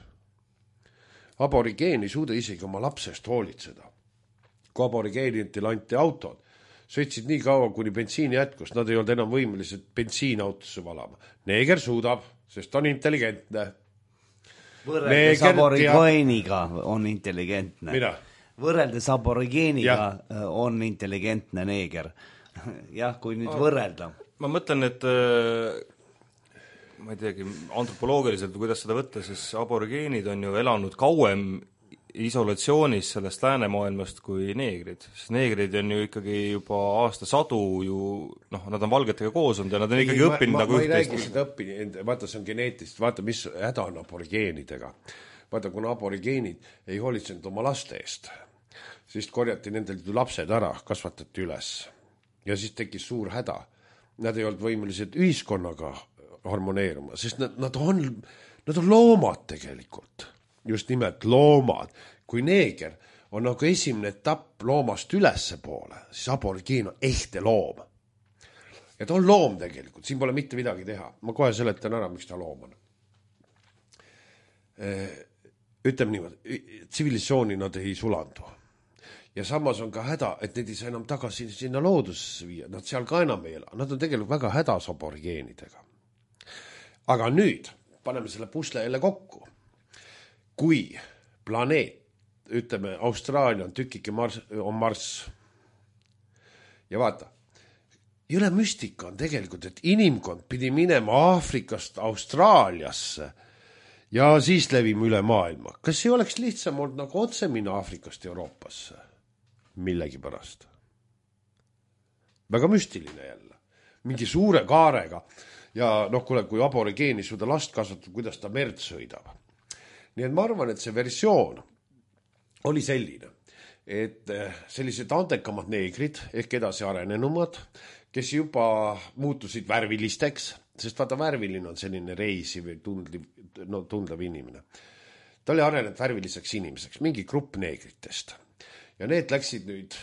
Aborigeen ei suuda isegi oma lapsest hoolitseda. Kui aborigeenidel anti autod, sõitsid nii kaua, kuni bensiini jätkus, nad ei olnud enam võimelised bensiinautosse valama. Neeger suudab, sest on intelligentne. Võrreldes aborigeeniga on intelligentne. Mida? Võrreldes aborigeeniga on intelligentne neeger. Jah, kui nüüd võrrelda. Ma mõtlen, et ma ei teagi, antropoloogiliselt või kuidas seda võtta, siis aborigeenid on ju elanud kauem isolatsioonis sellest läänemaailmast kui neegrid, sest neegrid on ju ikkagi juba aastasadu ju, noh, nad on valgetega koos olnud ja nad on ikkagi õppinud nagu ma ei räägi seda õppinud, vaata, see on geneetist, vaata, mis häda on aborigeenidega. Vaata, kuna aborigeenid ei hoolitsenud oma laste eest, siis korjati nendelt lapsed ära, kasvatati üles ja siis tekkis suur häda. Nad ei olnud võimelised ühiskonnaga harmoneeruma, sest nad on loomad tegelikult. Just nimelt loomad. Kui neeger on nagu esimene etapp loomast ülesse poole, siis aborigeen on ehte loom. Ja ta on loom tegelikult, siin pole mitte midagi teha. Ma kohe seletan ära, miks ta loom on. Ütleme niimoodi, tsivilisatsiooni nad ei sulandu. Ja samas on ka häda, et need ei saa enam tagasi sinna loodusesse viia. Nad seal ka enam ei ela. Nad on tegelikult väga hädas aborigeenidega. Aga nüüd paneme selle pusle jälle kokku. Kui planeet, ütleme, Austraalia on tükike on Marss. Ja vaata, jõle müstika on tegelikult, et inimkond pidi minema Aafrikast Austraaliasse ja siis levime üle maailma. Kas ei oleks lihtsam olnud nagu otse minna Aafrikast Euroopasse? Millegi pärast. Väga müstiline jälle. Mingi suure kaarega. Ja noh, kui aborigeeni suuda last kasvatab, kuidas ta merd sõidab. Nii et ma arvan, et see versioon oli selline, et sellised andekamad neegrid ehk edasi arenenumad, kes juba muutusid värvilisteks, sest vaata värviline on selline reisi või tundlev inimene. Ta oli arenenud värviliseks inimeseks, mingi grupp neegritest. Ja need läksid nüüd,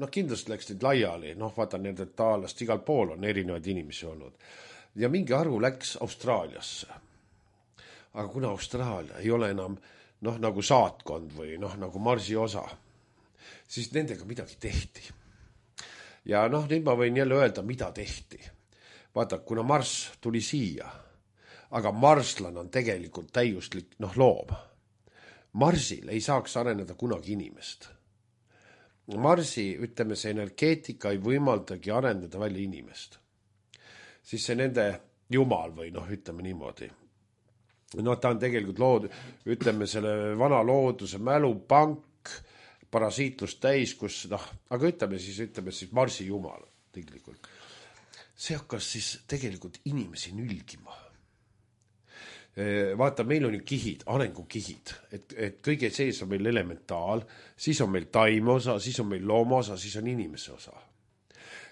noh kindlasti läksid laiali, noh vaata nendelt taalast igal pool on erinevaid inimesi olnud. Ja mingi arvu läks Austraaliasse. Aga kuna Austraalia ei ole enam nagu saatkond või nagu Marsi osa, siis nendega midagi tehti. Ja nüüd ma võin jälle öelda, mida tehti. Vaata, kuna Mars tuli siia, aga marslan on tegelikult täiuslik loom. Marsil ei saaks areneda kunagi inimest. Marsi, ütleme, see energeetika ei võimaldagi arendada välja inimest. Siis see nende jumal või ütleme niimoodi. Ta on tegelikult ütleme selle vana looduse mälupank, parasiitlust täis, kus, aga ütleme siis Marsi jumal tegelikult. See hakkas siis tegelikult inimesi nülgima. Vaata, meil on ju kihid, arengukihid, et kõige sees on meil elementaal, siis on meil taime osa, siis on meil looma osa, siis on inimese osa.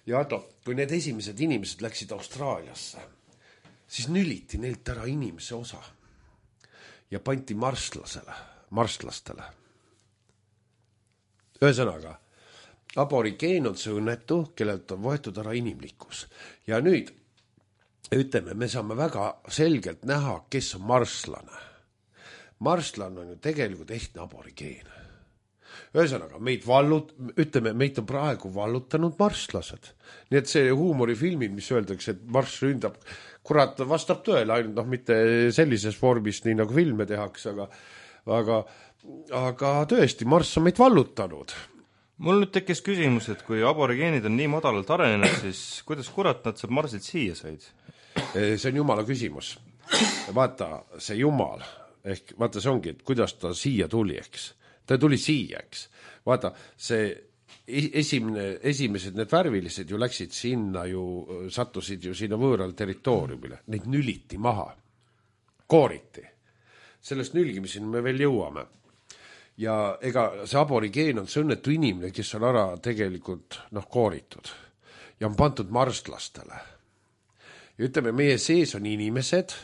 Ja kui need esimesed inimesed läksid Austraaliasse, siis nüliti neilt ära inimese osa. Ja panti marslastele. Ühesõnaga, aborigeen on see õnnetu, kellelt on võetud ära inimlikkus. Ja nüüd, ütleme, me saame väga selgelt näha, kes on marslane. Marslan on ju tegelikult ehtne aborigeen. Ühesõnaga, meid on praegu vallutanud marslased. Nii et see huumorifilmid, mis öeldakse, et Marss ründab, kurat vastab tõele, ainult mitte sellises vormis, nii nagu filme tehakse, aga tõesti, Marss on meid vallutanud. Mul nüüd tekkis küsimus, et kui aborigeenid on nii madalalt arenenud, siis kuidas kurat nad saab Marsilt siia said? See on jumala küsimus. Vaata, see jumal, ehk vaata see ongi, et kuidas ta siia tuli, eks. Ta tuli siia, eks. Vaata, see esimesed need värvilised ju läksid sinna sattusid ju sinna võõral territooriumile. Neid nüliti maha. Kooriti. Sellest nülgimiseni me veel jõuame. Ja ega see aborigeen on see õnnetu inimene, kes on ära tegelikult kooritud. Ja on pandud marslastele. Ja ütleme, meie sees on inimesed,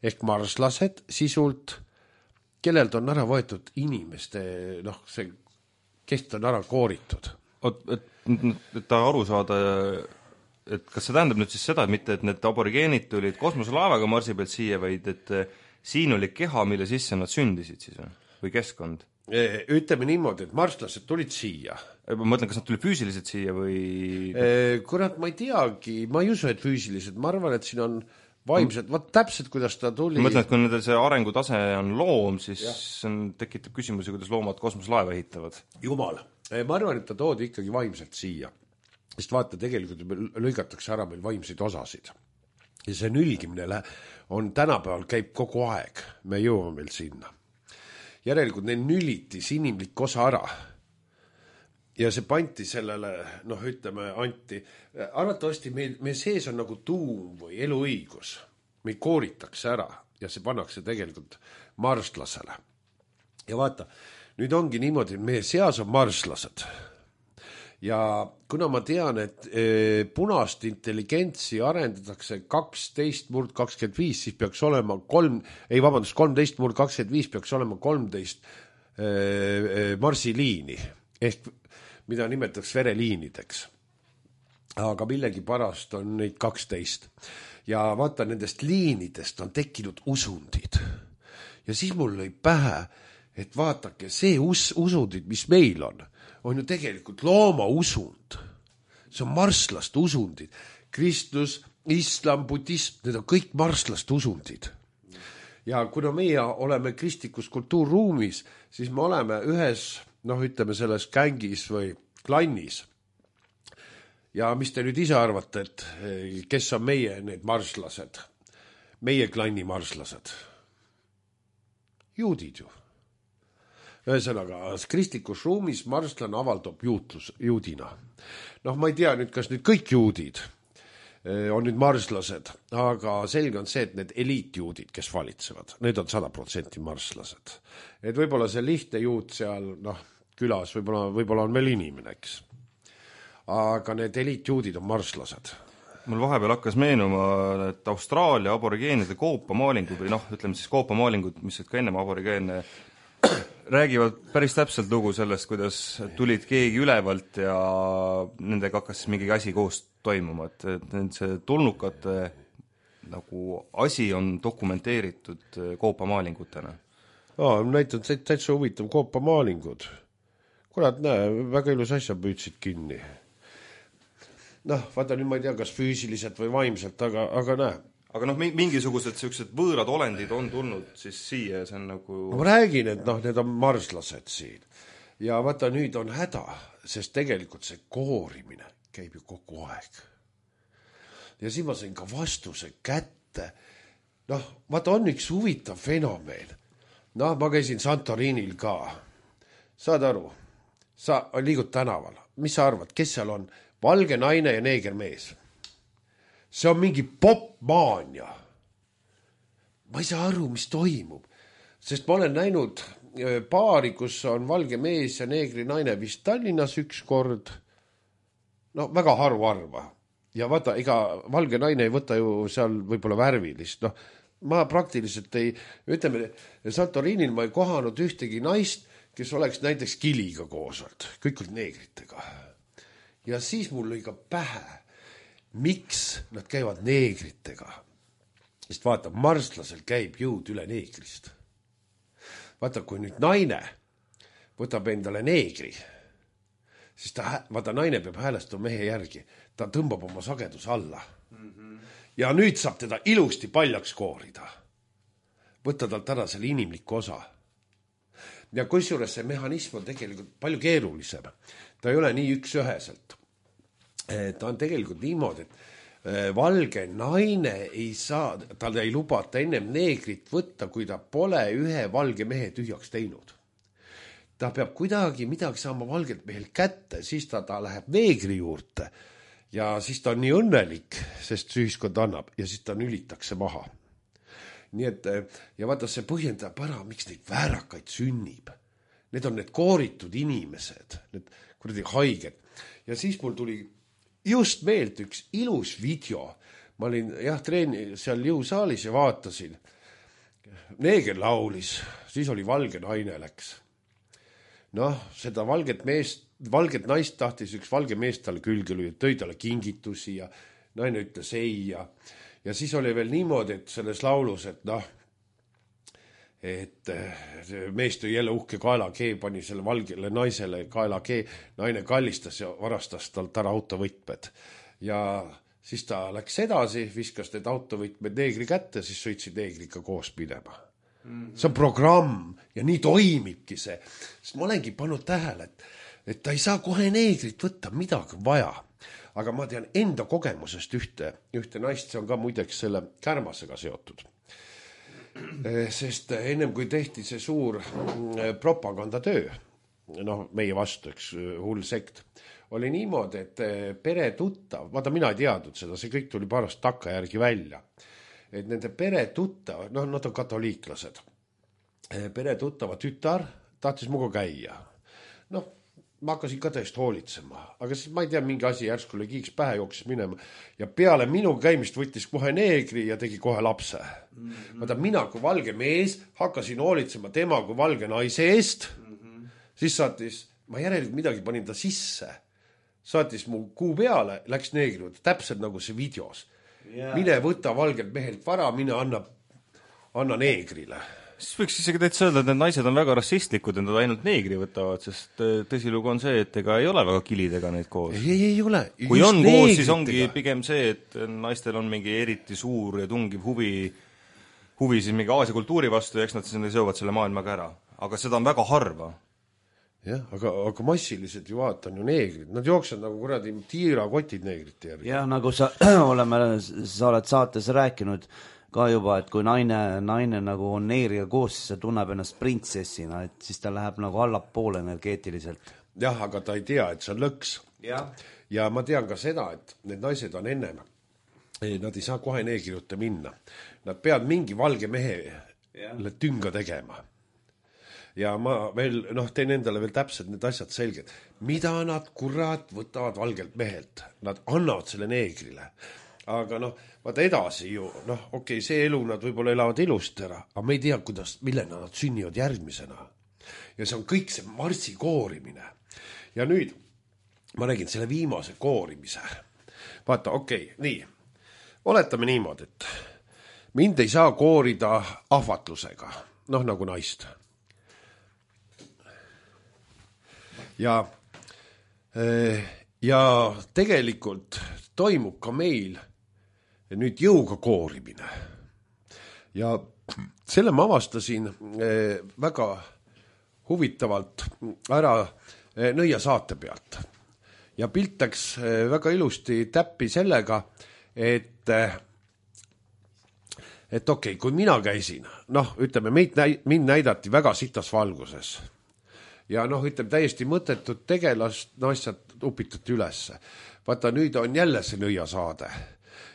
ehk marslased sisult, kellelt on ära võetud inimeste, see kest on ära kooritud. Et ta aru saada, et kas see tähendab nüüd siis seda, et mitte, et need aborigeenid tulid kosmoselaevaga Marsi pealt siia, vaid et siin oli keha, mille sisse nad sündisid siis või keskkond? Ütleme niimoodi, et marslased tulid siia. Ma mõtlen, kas nad tulid füüsiliselt siia või... Kurat, ma ei teagi, ma ei usu, et füüsiliselt, ma arvan, et siin on vaimselt, täpselt kuidas ta tuli. Ma mõtlen, et kui nendel see arengutase on loom, siis tekitab küsimusi, kuidas loomad kosmoselaeva ehitavad. Jumal, ma arvan, et ta toodi ikkagi vaimselt siia. Sest vaata, tegelikult lõigatakse ära meil vaimseid osasid. Ja see nülgimine on tänapäeval käib kogu aeg. Me jõuame meil sinna. järelikult neil nülitis inimlik osa ära. Ja see panti sellele, ütleme, anti. Arvatavasti meil sees on nagu tuum või eluõigus. Meid kooritakse ära ja see pannakse tegelikult marslasele. Ja vaata, nüüd ongi niimoodi, et meie seas on marslased. Ja kuna ma tean, et punast intelligentsi arendatakse 12/25, siis peaks olema 13/25 peaks olema 13 marsiliini ehk mida nimetatakse vereliinideks. Aga millegipärast on neid 12. Ja vaata, nendest liinidest on tekkinud usundid. Ja siis mul lõi pähe, et vaatake, see usundid, mis meil on ju tegelikult looma usund. See on marslaste usundid. Kristus, islam, budism, need on kõik marslaste usundid. Ja kuna meie oleme kristlikus kultuurruumis, siis me oleme ühes ütleme selles gängis või klannis. Ja mis te nüüd ise arvate, et kes on meie need marslased? Meie klanni marslased. Juudid ju. Ühesõnaga, kristlikus ruumis marslane avaldab juudina. Ma ei tea nüüd, kas nüüd kõik juudid on nüüd marslased, aga selge on see, et need eliitjuudid, kes valitsevad, need on 100% marslased. Et võib-olla see lihtne juud seal, külas võib-olla on veel inimene, eks. Aga need eliitjuudid on marslased. Mul vahepeal hakkas meenuma, et Austraalia aborigeenide koopamaalingud või ütleme siis koopamaalingud, mis ka ennem aborigeene, räägivad päris täpselt lugu sellest, kuidas tulid keegi ülevalt ja nendega hakkas mingi asi koos toimuma, et see tulnukate nagu asi on dokumenteeritud koopamaalingutena. Näitad täitsa huvitav koopamaalingud. Kurat, näe, väga ilus asja püüdsid kinni. Vaata nüüd ma ei tea, kas füüsiliselt või vaimselt, aga näe. Aga mingisugused sellised võõrad olendid on tulnud siis siia, see on nagu... Ma räägin, et need on marslased siin. Ja vaata, nüüd on häda, sest tegelikult see koorimine käib ju kogu aeg. Ja siin ma sain ka vastuse kätte. Vaata, on üks huvitav fenomen. Ma käisin Santorinil ka. Saad aru? Sa liigud tänaval. Mis sa arvad, kes seal on? Valge naine ja neegermees. See on mingi popmaania. Ma ei saa aru, mis toimub. Sest ma olen näinud paari, kus on valge mees ja neegri naine vist Tallinnas üks kord. Väga haruarva. Ja vaata, ega valge naine ei võta ju seal võib-olla värvilist. Ma praktiliselt ütleme, Santorinil ma ei kohanud ühtegi naist, kes oleks näiteks kiliga koosalt. Kõik olid neegritega. Ja siis mul lõi ka pähe, miks nad käivad neegritega. Sest vaata, marslasel käib jõud üle neegrist. Vaata, kui nüüd naine võtab endale neegri, siis vaata, naine peab häälestama mehe järgi. Ta tõmbab oma sagedus alla. Ja nüüd saab teda ilusti paljaks koorida. Võtta talt ära selle inimliku osa. Ja kusjuures see mehhanism on tegelikult palju keerulisem. Ta ei ole nii üks-üheselt. Ta on tegelikult niimoodi, et valge naine ei saa, tal ei lubata ennem neegrit võtta, kui ta pole ühe valge mehe tühjaks teinud. Ta peab kuidagi midagi saama valgelt mehel kätte, siis ta läheb neegri juurde ja siis ta on nii õnnelik, sest see ühiskond annab ja siis ta nülitakse maha. Nii et, ja vaata, see põhjendab ära, miks neid väärakaid sünnib. Need on need kooritud inimesed, need kuradi haiged. Ja siis mul tuli just meelt üks ilus video. Ma olin seal jõusaalis ja vaatasin. Neeger laulis, siis oli valge naine läks. Seda valget naist tahtis üks valge mees talle külge lüüa, tõi talle kingitusi ja naine ütles ei ja siis oli veel niimoodi, et selles laulus, et mees tõi jälle uhke kaelakee, pani selle valgele naisele kaelakee, naine kallistas ja varastas talt ära autovõtmed. Ja siis ta läks edasi, viskas need autovõtmed neegri kätte, siis sõitsid neegriga koos minema. See on programm ja nii toimibki see. Sest ma olengi pannud tähele, et ta ei saa kohe neegrit võtta, midagi vaja. Aga ma tean enda kogemusest ühte naist, see on ka muideks selle Kärmasega seotud. sest ennem kui tehti see suur propagandatöö, noh, meie vastu, üks hull sekt, oli niimoodi, et peretuttav, vaata mina ei teadnud seda, see kõik tuli pärast takkajärgi välja, et nende peretuttav, noh, nad on katoliiklased, peretuttava tütar tahtis muga käia. Noh, ma hakkasin ka tõest hoolitsema, aga siis ma ei tea, mingi asi järsku oli kiiks pähe, jooksis minema ja peale minu käimist võttis kohe neegri ja tegi kohe lapse. Vaata, mina kui valge mees hakkasin hoolitsema tema kui valge naise eest, siis saatis, ma järelikult midagi panin ta sisse, saatis mu kuu peale, läks neegri, täpselt nagu see videos. Mine võta valgelt mehelt vara, mine anna neegrile. Siis võiks isegi täitsa öelda, et need naised on väga rassistlikud, et nad ainult neegri võtavad, sest tõsilugu on see, et ega ei ole väga kilidega neid koos. Ei ole. Kui on koos, siis ongi pigem see, et naistel on mingi eriti suur ja tungiv huvi siis mingi Aasia kultuuri vastu ja eks nad siis seovad selle maailmaga ära. Aga seda on väga harva. Jah, aga massiliselt ju vaatan ju neegrid. Nad jooksevad nagu kuradi tiirakotid neegrite järgi. Jah, nagu sa oled saates rääkinud ka juba, et kui naine nagu on neeriga koos, siis ta tunneb ennast printsessina, et siis ta läheb nagu allapoole energeetiliselt. Jah, aga ta ei tea, et see on lõks. Ja ma tean ka seda, et need naised on ennem. Nad ei saa kohe neegri juurde minna. Nad peavad mingi valge mehe tünga tegema. Ja ma veel, teen endale veel täpselt need asjad selged. Mida nad kurat võtavad valgelt mehelt? Nad annavad selle neegrile. Aga vaata edasi ju, okei, see elu nad võib-olla elavad ilust ära, aga me ei tea, millena nad sünnivad järgmisena. Ja see on kõik see marssi koorimine. Ja nüüd ma räägin selle viimase koorimise. Vaata, okei, nii. Oletame niimoodi, et mind ei saa koorida ahvatlusega, nagu naist. Ja tegelikult toimub ka meil nüüd jõuga koorimine. Ja selle ma avastasin väga huvitavalt ära Nõia saate pealt. Ja pilt läks väga ilusti täppi sellega, et okei, kui mina käisin, ütleme, mind näidati väga sitas valguses. Ja ütleme, täiesti mõttetud tegelast asjad upitati ülesse. Vaata, nüüd on jälle see Nõia saade.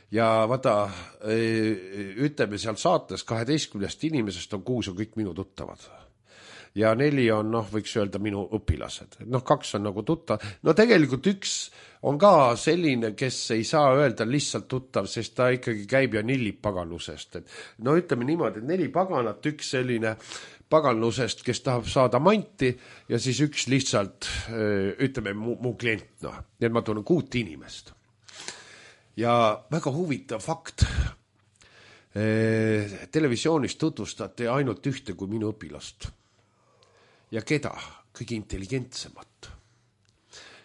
Ja vaata, ütleme seal saates 12 inimesest on 6 on kõik minu tuttavad. Ja 4 on, võiks öelda, minu õpilased. 2 on nagu tuttav. Tegelikult 1 on ka selline, kes ei saa öelda lihtsalt tuttav, sest ta ikkagi käib ja nillib paganlusest. Ütleme niimoodi, et 4 paganat, 1 selline paganlusest, kes tahab saada manti ja siis 1 lihtsalt, ütleme, mu klient. Nii et ma tunnen 6 inimest. Ja väga huvitav fakt. Televisioonis tutvustati ainult 1 kui minu õpilast. Ja keda? Kõige intelligentsemat.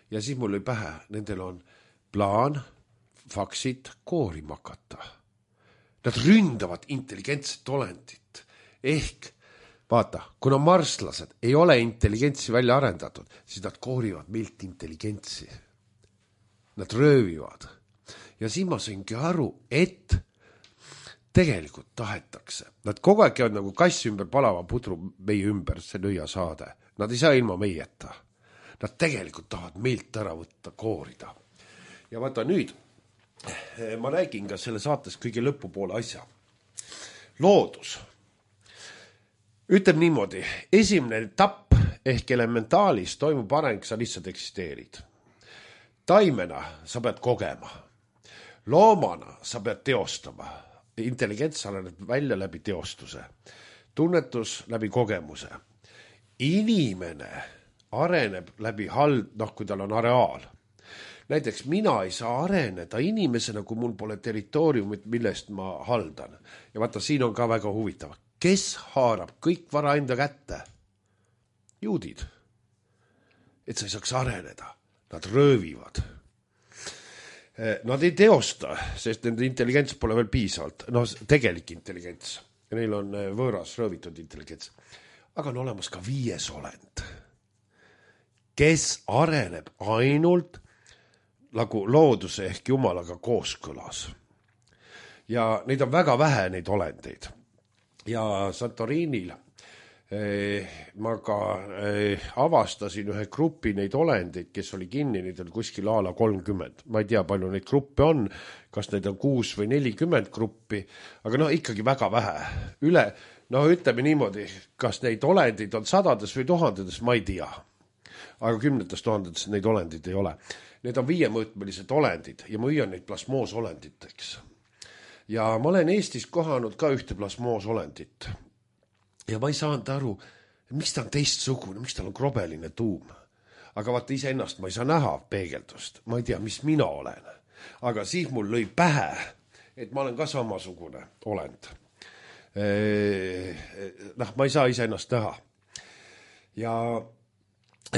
Ja siis mul oli pähe, nendel on plaan, faksid, koorima hakata. Nad ründavad intelligentset olendit. Ehk, vaata, kuna marslased ei ole intelligentsi välja arendatud, siis nad koorivad meilt intelligentsi. Nad röövivad. Ja siis ma saingi aru, et tegelikult tahetakse. Nad kogu aeg käivad nagu kass ümber palava pudru meie ümber, see Nõia saade. Nad ei saa ilma meieta. Nad tegelikult tahavad meilt ära võtta, koorida. Ja vaata nüüd, ma räägin ka selle saates kõige lõpupoole asja. Loodus. Ütleb niimoodi, esimene etapp ehk elementaalis toimub areng, sa lihtsalt eksisteerid. Taimena sa pead kogema. Loomana sa pead teostama. Intelligents areneb välja läbi teostuse. Tunnetus läbi kogemuse. Inimene areneb läbi kui tal on areaal. Näiteks mina ei saa areneda inimesena, kui mul pole territooriumit, millest ma haldan. Ja vaata, siin on ka väga huvitav. Kes haarab kõik vara enda kätte? Juudid. Et sa ei saaks areneda. Nad röövivad. Nad ei teosta, sest nende intelligents pole veel piisavalt. Tegelik intelligents. Ja neil on võõras röövitud intelligents. Aga on olemas ka 5 olend, kes areneb ainult nagu looduse ehk Jumalaga kooskõlas. Ja neid on väga vähe, neid olendeid. ja Santorinil ma ka avastasin ühe grupi neid olendeid, kes oli kinni, neid oli kuskil a la 30. Ma ei tea, palju neid gruppe on, kas neid on 6 või 40 gruppi, aga no ikkagi väga vähe. Ütleme niimoodi, kas neid olendid on sadades või tuhandetes, ma ei tea. Aga 10 tuhandetes neid olendid ei ole. Need on 5-mõõtmelised olendid ja ma hüüan neid plasmoosolenditeks. Ja ma olen Eestis kohanud ka ühte plasmoosolendit. Ja ma ei saanud aru, miks ta on teistsugune, miks tal on krobeline tuum. Aga vaata iseennast ma ei saa näha peegeldust. Ma ei tea, mis mina olen. Aga siis mul lõi pähe, et ma olen ka samasugune olend. Ma ei saa iseennast näha. Ja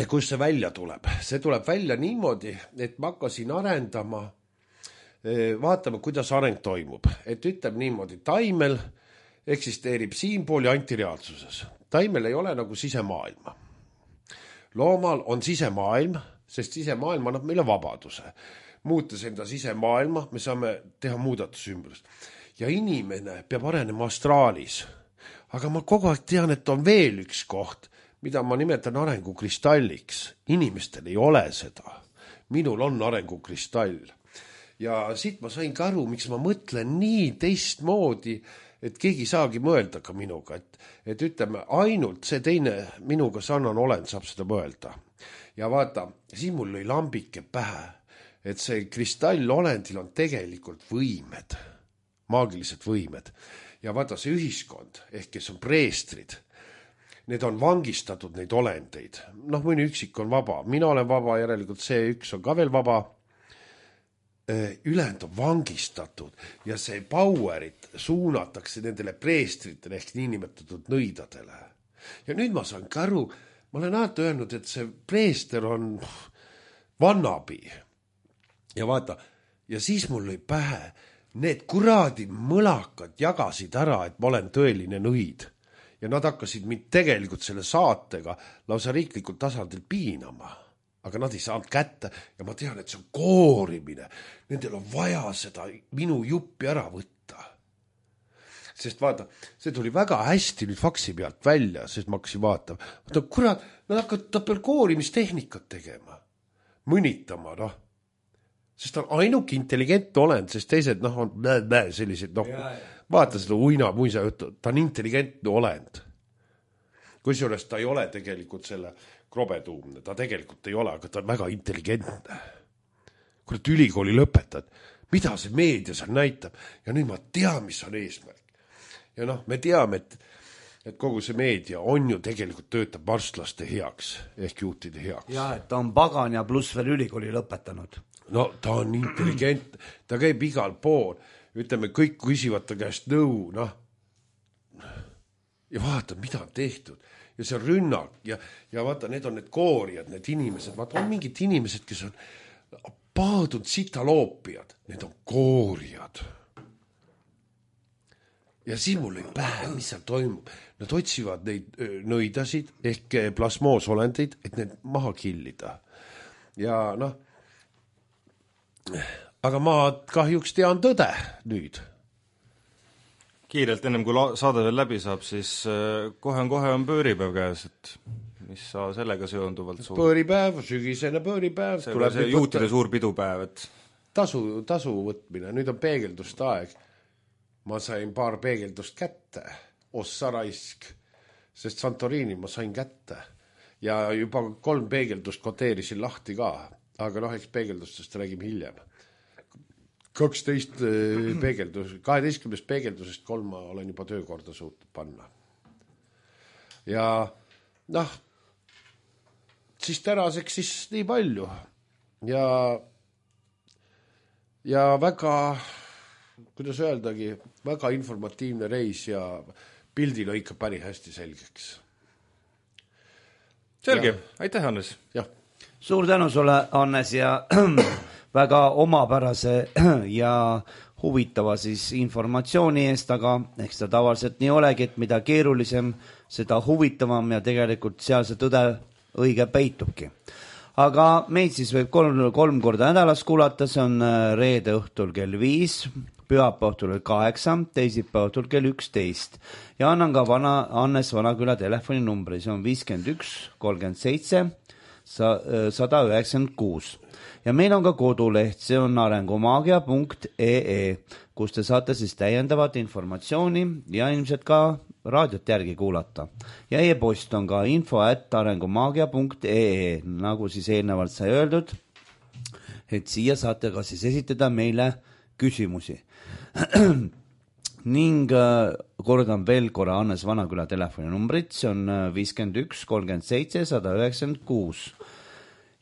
kus see välja tuleb? See tuleb välja niimoodi, et ma hakkasin arendama, vaatame, kuidas areng toimub. Et ütleb niimoodi, taimel eksisteerib siinpool ja antireaalsuses. Taimel ei ole nagu sisemaailma. Loomal on sisemaailm, sest sisemaailm annab meile vabaduse. Muutes enda sisemaailma, me saame teha muudatusümbrust. Ja inimene peab arenema astraalis. Aga ma kogu aeg tean, et on veel üks koht, mida ma nimetan arengukristalliks. Inimestel ei ole seda. Minul on arengukristall. Ja siit ma sain ka aru, miks ma mõtlen nii teistmoodi, et keegi saagi mõelda ka minuga, et ütleme, ainult see teine minuga sarnane olend saab seda mõelda. Ja vaata, siin mul lõi lambike pähe, et see kristallolendil on tegelikult võimed, maagilised võimed. Ja vaata, see ühiskond, ehk kes on preestrid, need on vangistatud neid olendeid. Mõni üksik on vaba, mina olen vaba, järelikult see üks on ka veel vaba. Ülejäänud on vangistatud ja see powerit suunatakse nendele preestritele ehk niinimetatud nõidadele. Ja nüüd ma saan ka aru, ma olen alati öelnud, et see preester on vannabi. Ja vaata, ja siis mul lõi pähe, need kuradi mõlakad jagasid ära, et ma olen tõeline nõid. Ja nad hakkasid mind tegelikult selle saatega lausa riiklikult tasandil piinama. Aga nad ei saanud kätte ja ma tean, et see on koorimine. Nendel on vaja seda minu juppi ära võtta. Sest vaata, see tuli väga hästi nüüd faksi pealt välja, sest ma hakkasin vaatama. Vaata, kurat, nad hakkavad peal koorimistehnikat tegema. Mõnitama, Sest ta on ainuke intelligentne olend, sest teised, on sellised, vaata seda uina muisa juttu, ta on intelligentne olend. Kusjuures ta ei ole tegelikult selle krobetuumne, ta tegelikult ei ole, aga ta on väga intelligentne. Kurat, ülikooli lõpetad, mida see meedia seal näitab ja nüüd ma tean, mis on eesmärk. Ja me teame, et kogu see meedia on ju tegelikult töötab varstlaste heaks ehk juhtide heaks. Ja, et ta on pagan ja pluss veel ülikooli lõpetanud. Ta on intelligentne, ta käib igal pool, ütleme, kõik küsivad ta käest nõu, ja vaata, mida on tehtud. Ja see on rünnak ja vaata, need on need koorijad, need inimesed, vaata, on mingid inimesed, kes on paadud sitaloopiad, need on koorijad. Ja siis mul ei pähe, mis seal toimub. Nad otsivad neid nõidasid ehk plasmoosolendid, et need maha killida. Ja aga ma kahjuks tean tõde nüüd. Kiirelt ennem kui saade veel läbi saab, siis kohe on pööripäev käes, et mis sa sellega seonduvalt suur? Pööripäev, sügisene pööripäev. See juutide suur pidupäev, et tasu võtmine, nüüd on peegelduste aeg. Ma sain paar peegeldust kätte, ossa raisk, sest Santorini ma sain kätte. Ja juba 3 peegeldust koteerisin lahti ka, aga eks peegeldustest räägime hiljem. 12 peegeldusest 3 ma olen juba töökorda suutnud panna. Ja siis tänaseks siis nii palju. Ja väga, kuidas öeldagi, väga informatiivne reis ja pildil on ikka päris hästi selgeks. Selge, aitäh, Hannes. Jah. Suur tänu sulle, Hannes, ja väga omapärase ja huvitava siis informatsiooni eest, aga eks ta tavaliselt nii olegi, et mida keerulisem, seda huvitavam ja tegelikult seal see tõde õige peitubki. Aga meid siis võib 3 korda nädalas kuulata, see on reede õhtul kell 5 pühapäeva õhtul 8, teisipäeva õhtul kell 11 ja annan ka Hannes Vanaküla telefoninumbri, see on 51 37 196 ja meil on ka koduleht, see on arengumaagia.ee, kus te saate siis täiendavat informatsiooni ja ilmselt ka raadiot järgi kuulata. Ja e-post on ka info@arengumaagia.ee, nagu siis eelnevalt sai öeldud, et siia saate ka siis esitada meile küsimusi. Ning kordan veel korra Hannes Vanaküla telefoninumbrit, see on 51 37 196.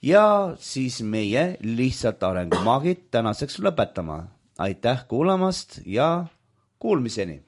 Ja siis meie lihtsalt arengumaagid tänaseks lõpetama. Aitäh kuulamast ja kuulmiseni!